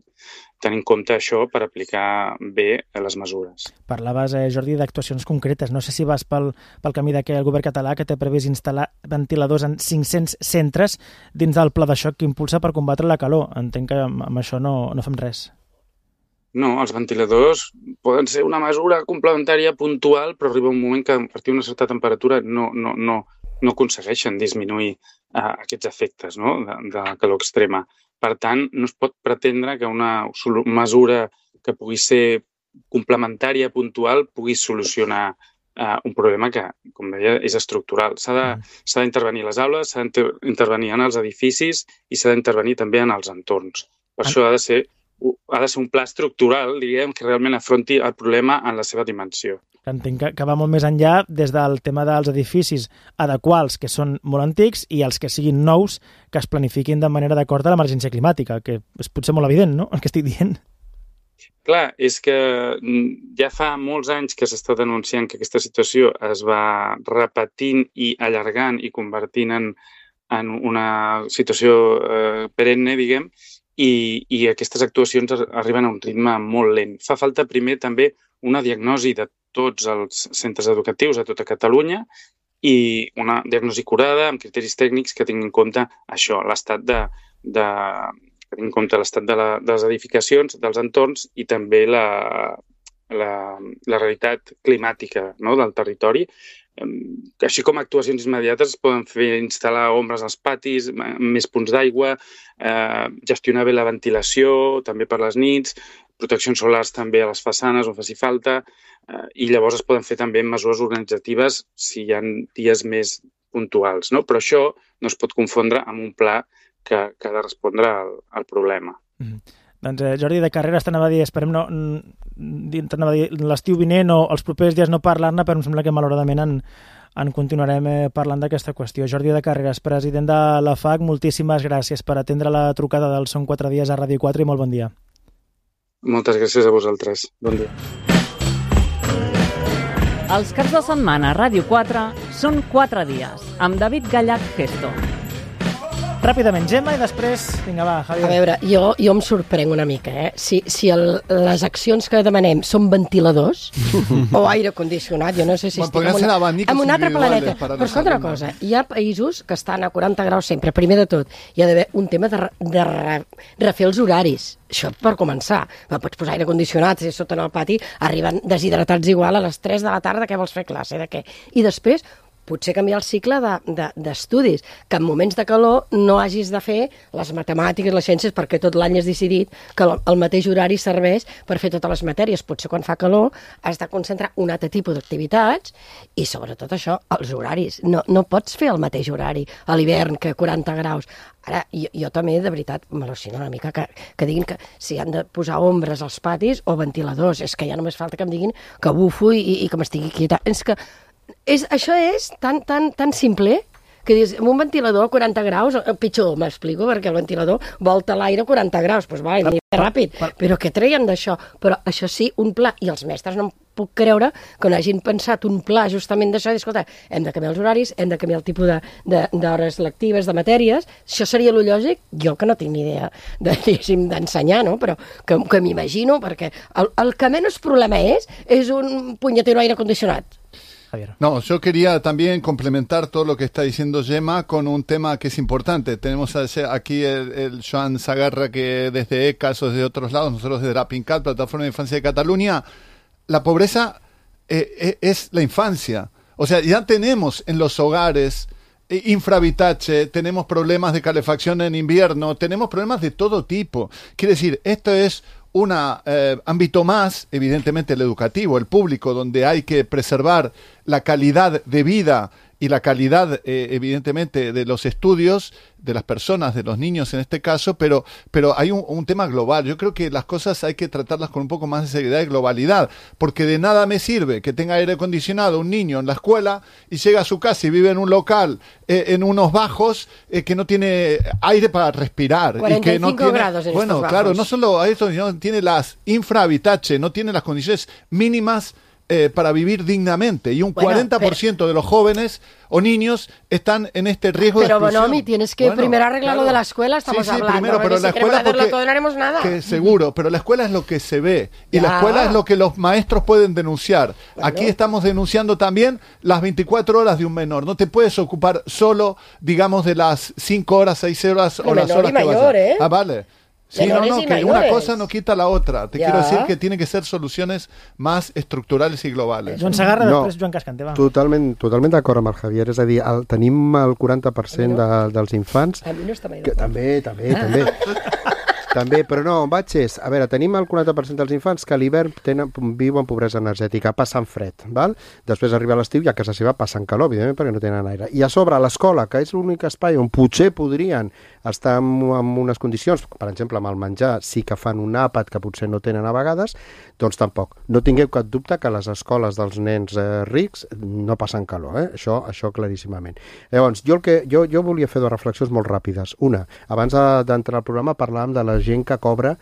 tenint en compte això per aplicar bé les mesures. Parlaves, eh, Jordi, d'actuacions concretes. No sé si vas pel, pel camí d'aquell govern català que té previst instal·lar ventiladors en cinc-cents centres dins del pla de xoc que impulsa per combatre la calor. Entenc que amb, amb això no, no fem res. No, els ventiladors poden ser una mesura complementària puntual, però arriba un moment que a partir d'una certa temperatura no, no, no, no aconsegueixen disminuir uh, aquests efectes, no?, de, de la calor extrema. Per tant, no es pot pretendre que una mesura que pugui ser complementària, puntual, pugui solucionar uh, un problema que, com deia, és estructural. S'ha d'intervenir a les aules, s'ha d'intervenir en els edificis i s'ha d'intervenir també en els entorns. Per ah. això ha de ser ha de ser un pla estructural, diguem, que realment afronti el problema en la seva dimensió. Entenc que, que va molt més enllà des del tema dels edificis adequats, que són molt antics, i els que siguin nous, que es planifiquin de manera d'acord a l'emergència climàtica, que és potser molt evident, no?, el que estic dient. Clar, és que ja fa molts anys que s'està denunciant que aquesta situació es va repetint i allargant i convertint en, en una situació eh, perenne, diguem, I, i aquestes actuacions arriben a un ritme molt lent. Fa falta primer també una diagnosi de tots els centres educatius a tota Catalunya i una diagnosi curada amb criteris tècnics que tinguin en compte això, l'estat de, de, que tinguin en compte l'estat de, la, de les edificacions, dels entorns i també la, la, la realitat climàtica, no?, del territori. Així com actuacions immediates es poden fer instal·lar ombres als patis, més punts d'aigua, eh, gestionar bé la ventilació, també per les nits, proteccions solars també a les façanes on faci falta, eh, i llavors es poden fer també mesures organitzatives si hi ha dies més puntuals, no? Però això no es pot confondre amb un pla que, que ha de respondre al, al problema. Mm. Doncs eh, Jordi de Carreras, t'anava a dir, esperem no, t'anava a dir l'estiu vinent o els propers dies no parlar-ne, però em sembla que malauradament en, en continuarem eh, parlant d'aquesta qüestió. Jordi de Carreras, president de la F A C, moltíssimes gràcies per atendre la trucada del Són quatre dies a Ràdio quatre i molt bon dia. Moltes gràcies a vosaltres. Bon dia. Els caps de setmana a Ràdio quatre són quatre dies, amb David Gallach Gesto. Ràpidament, Gemma, i després... Vinga, va, Javier. A veure, jo, jo em sorprenc una mica, eh? Si, si el, les accions que demanem són ventiladors o aire condicionat, jo no sé si estic en, una, en un altre planeta. Però escolta una cosa, hi ha països que estan a quaranta graus sempre. Primer de tot, hi ha d'haver un tema de, de re, refer els horaris. Això per començar. Pots posar aire condicionat, si sota en el pati arriben deshidratats igual a les tres de la tarda, què vols fer classe, de què? I després... potser canviar el cicle d'estudis, de, de, que en moments de calor no hagis de fer les matemàtiques, les ciències, perquè tot l'any has decidit que el mateix horari serveix per fer totes les matèries. Potser quan fa calor has de concentrar un altre tipus d'activitats i sobretot això, els horaris. No, no pots fer el mateix horari a l'hivern que quaranta graus. Ara, jo, jo també, de veritat, m'al·lucino una mica que, que diguin que si han de posar ombres als patis o ventiladors. És que ja només falta que em diguin que bufo i, i que m'estigui quietant. És que És, això és tan, tan, tan simple que dius, amb un ventilador a quaranta graus, pitjor, m'explico, perquè el ventilador volta l'aire a quaranta graus, doncs va, i ràpid, però què treien d'això? Però això sí, un pla, i els mestres no em puc creure que no hagin pensat un pla justament d'això, i escolta, hem de canviar els horaris, hem de canviar el tipus d'hores lectives, de matèries, això seria lo lògic, jo que no tinc ni idea d'ensenyar, no? Però que, que m'imagino, perquè el, el que menys problema és, és un punyetero aire condicionat. No, yo quería también complementar todo lo que está diciendo Gemma con un tema que es importante. Tenemos aquí el, el Joan Sagarra, que desde E C A S o desde otros lados, nosotros desde la PINCAT, Plataforma de Infancia de Cataluña, la pobreza eh, es la infancia. O sea, ya tenemos en los hogares eh, infravitache, tenemos problemas de calefacción en invierno, tenemos problemas de todo tipo. Quiere decir, esto es un eh, ámbito más, evidentemente el educativo, el público, donde hay que preservar la calidad de vida y la calidad, eh, evidentemente, de los estudios, de las personas, de los niños en este caso, pero, pero hay un, un tema global. Yo creo que las cosas hay que tratarlas con un poco más de seriedad y globalidad, porque de nada me sirve que tenga aire acondicionado un niño en la escuela y llega a su casa y vive en un local, eh, en unos bajos, eh, que no tiene aire para respirar. cuarenta y cinco y que no tiene, grados en bueno, estos claro, bajos. no solo a eso, sino tiene las infrahabitache, no tiene las condiciones mínimas eh, para vivir dignamente. Y un bueno, cuarenta por ciento pero... de los jóvenes o niños están en este riesgo pero, de exclusión. Pero, Bonomi, tienes que bueno, primero arreglar claro. lo de la escuela, estamos sí, sí, hablando. Primero, pero si la escuela porque, todo, no haremos nada. Que seguro, pero la escuela es lo que se ve. Y ya. la escuela es lo que los maestros pueden denunciar. Bueno. Aquí estamos denunciando también las veinticuatro horas de un menor. No te puedes ocupar solo, digamos, de las cinco horas, seis horas o las horas que mayor, vas a... ¿eh? Ah, vale. Sí, Menores no, no, que mayores. Una cosa no quita la otra. Te ja. quiero decir que tienen que ser soluciones más estructurales i globals. Joan Sagarra, no, després Joan Cascante, va. Totalment, totalment d'acord amb el Javier. És a dir, el, tenim el quaranta per cent no. de, dels infants... A mi no està mai que, també, també, també. També, però no, on vaig és... A veure, tenim el quaranta per cent dels infants que a l'hivern viuen pobresa energètica, passen fred, val? Després arriba l'estiu i a casa seva passen calor, evidentment, perquè no tenen aire. I a sobre, a l'escola, que és l'únic espai on potser podrien estar en, en unes condicions, per exemple, amb el menjar, sí que fan un àpat que potser no tenen a vegades, doncs tampoc. No tingueu cap dubte que les escoles dels nens eh, rics no passen calor, eh? Això, això claríssimament. Llavors, jo, el que, jo, jo volia fer dues reflexions molt ràpides. Una, abans d'entrar al programa parlàvem de la gent que cobra,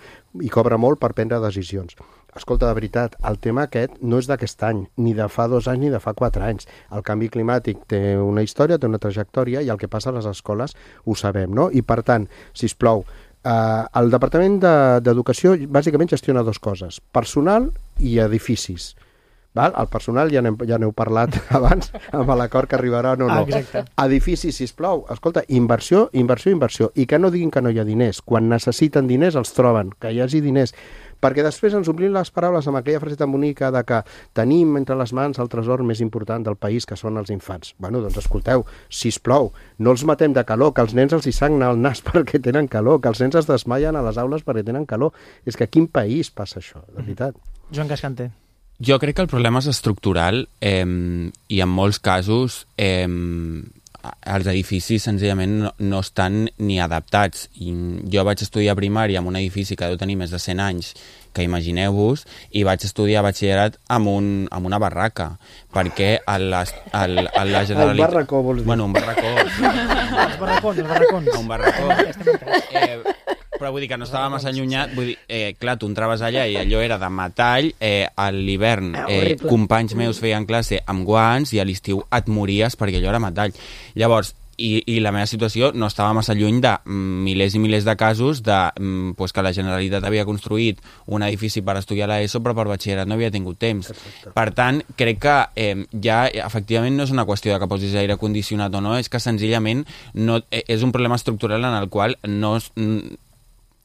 i cobra molt per prendre decisions. Escolta, de veritat, el tema aquest no és d'aquest any, ni de fa dos anys ni de fa quatre anys. El canvi climàtic té una història, té una trajectòria, i el que passa a les escoles ho sabem, no? I per tant, sisplau, eh, el Departament d'Educació bàsicament gestiona dues coses, personal i edificis. Val? El personal ja n'heu ja parlat abans amb l'acord que arribarà o no. Ah, exacte. Edificis, sisplau, escolta, inversió, inversió, inversió, i que no diguin que no hi ha diners. Quan necessiten diners els troben, que hi hagi diners, perquè després ens omplim les paraules amb aquella frase tan bonica de que tenim entre les mans el tresor més important del país, que són els infants. Bueno, doncs escolteu, sisplau, no els matem de calor, que els nens els hi sagna el nas perquè tenen calor, que els nens es desmaien a les aules perquè tenen calor. És que a quin país passa això, de veritat? Joan Cascante. Jo crec que el problema és estructural eh, i en molts casos eh, els edificis senzillament no, no estan ni adaptats. I jo vaig estudiar primària en un edifici que deu tenir més de cent anys, que imagineu-vos, i vaig estudiar batxillerat amb, un, amb una barraca, perquè a la, a la, a la Generalitat... Un barracó, vols dir? Bueno, un barracó. Els barracons, els barracons. Un barracó. Eh, però vull dir que no estava massa allunyat, vull dir, eh, clar, tu entraves allà i allò era de metall, eh, a l'hivern eh, companys meus feien classe amb guants i a l'estiu et mories perquè allò era metall. Llavors, i, i la meva situació no estava massa lluny de mm, milers i milers de casos de mm, pues que la Generalitat havia construït un edifici per estudiar l'ESO però per batxillerat no havia tingut temps. Perfecte. Per tant, crec que eh, ja efectivament no és una qüestió de que posis aire condicionat o no, és que senzillament no, eh, és un problema estructural en el qual no es, mm,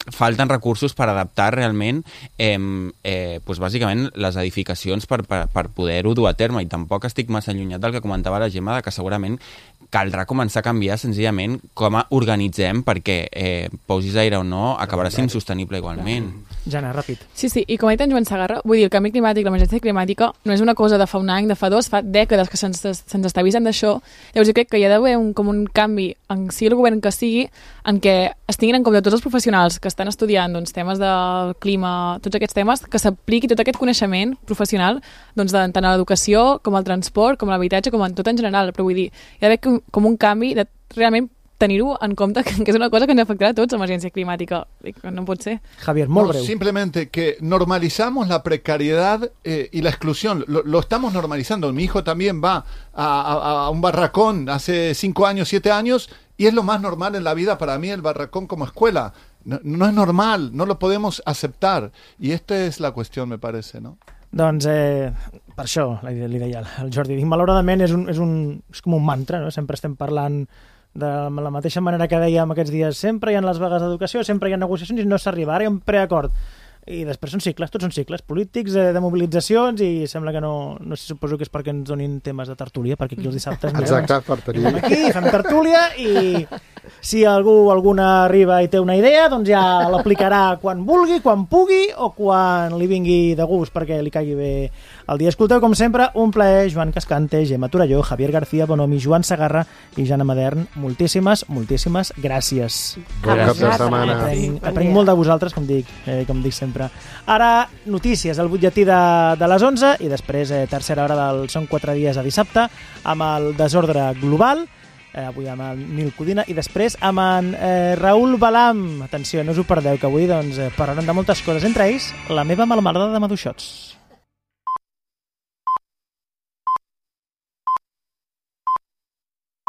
falten recursos per adaptar realment eh, eh, pues bàsicament les edificacions per, per, per poder-ho dur a terme, i tampoc estic massa allunyat del que comentava la Gemma, de que segurament caldrà començar a canviar senzillament com organitzem, perquè eh, posis aire o no acabarà sent insostenible igualment. Jana, ràpid. Sí, sí, i com ha dit en Joan Sagarra, vull dir, el canvi climàtic, l'emergència climàtica no és una cosa de fa un any, de fa dos, fa dècades que se'ns se està avisant d'això. Llavors jo crec que hi ha d'haver un, com un canvi, en sigui el govern que sigui, en què es tinguin en compte tots els professionals que estan estudiant doncs, temes del clima, tots aquests temes, que s'apliqui tot aquest coneixement professional doncs, de, tant a l'educació com al transport, com a l'habitatge, com en tot en general. Però vull dir, hi ha d'haver com, com un canvi de realment tenir-ho en compte, que és una cosa que ens afectarà a tots, l'emergència climàtica. No pot ser. Javier, molt no, breu. Simplemente que normalizamos la precariedad eh, y la exclusión. Lo, lo estamos normalizando. Mi hijo también va a, a, a un barracón hace cinco años, siete años, y es lo más normal en la vida para mí el barracón como escuela. No, no es normal, no lo podemos aceptar. Y esta es la cuestión, me parece, ¿no? Doncs eh, per això li, li deia el Jordi. Malauradament és, un, és, un, és com un mantra, no? Sempre estem parlant de la mateixa manera que dèiem aquests dies. Sempre hi ha les vagues d'educació, sempre hi ha negociacions i no s'arriba. Ara hi ha un preacord. I després són cicles, tots són cicles polítics, eh, de mobilitzacions, i sembla que no, no sé, suposo que és perquè ens donin temes de tertúlia, perquè aquí els dissabtes mireu, exacte, per tenir. Aquí fem tertúlia, i si algú alguna arriba i té una idea, doncs ja l'aplicarà quan vulgui, quan pugui, o quan li vingui de gust, perquè li caigui bé el dia. Escolteu, com sempre, un plaer. Joan Cascante, Gemma Torelló, Javier García Bonomi, Joan Sagarra i Jana Madern. Moltíssimes, moltíssimes gràcies. Bon cap de setmana. Aprenc, aprenc molt de vosaltres, com dic, eh, com dic sempre. Ara, notícies, el butlletí de, de les onze, i després eh, tercera hora del Són quatre dies a dissabte, amb el desordre global, eh, avui amb el Nil Codina, i després amb en eh, Raül Balam. Atenció, no us ho perdeu, que avui doncs, eh, parlarem de moltes coses, entre ells la meva melmelada de maduixots.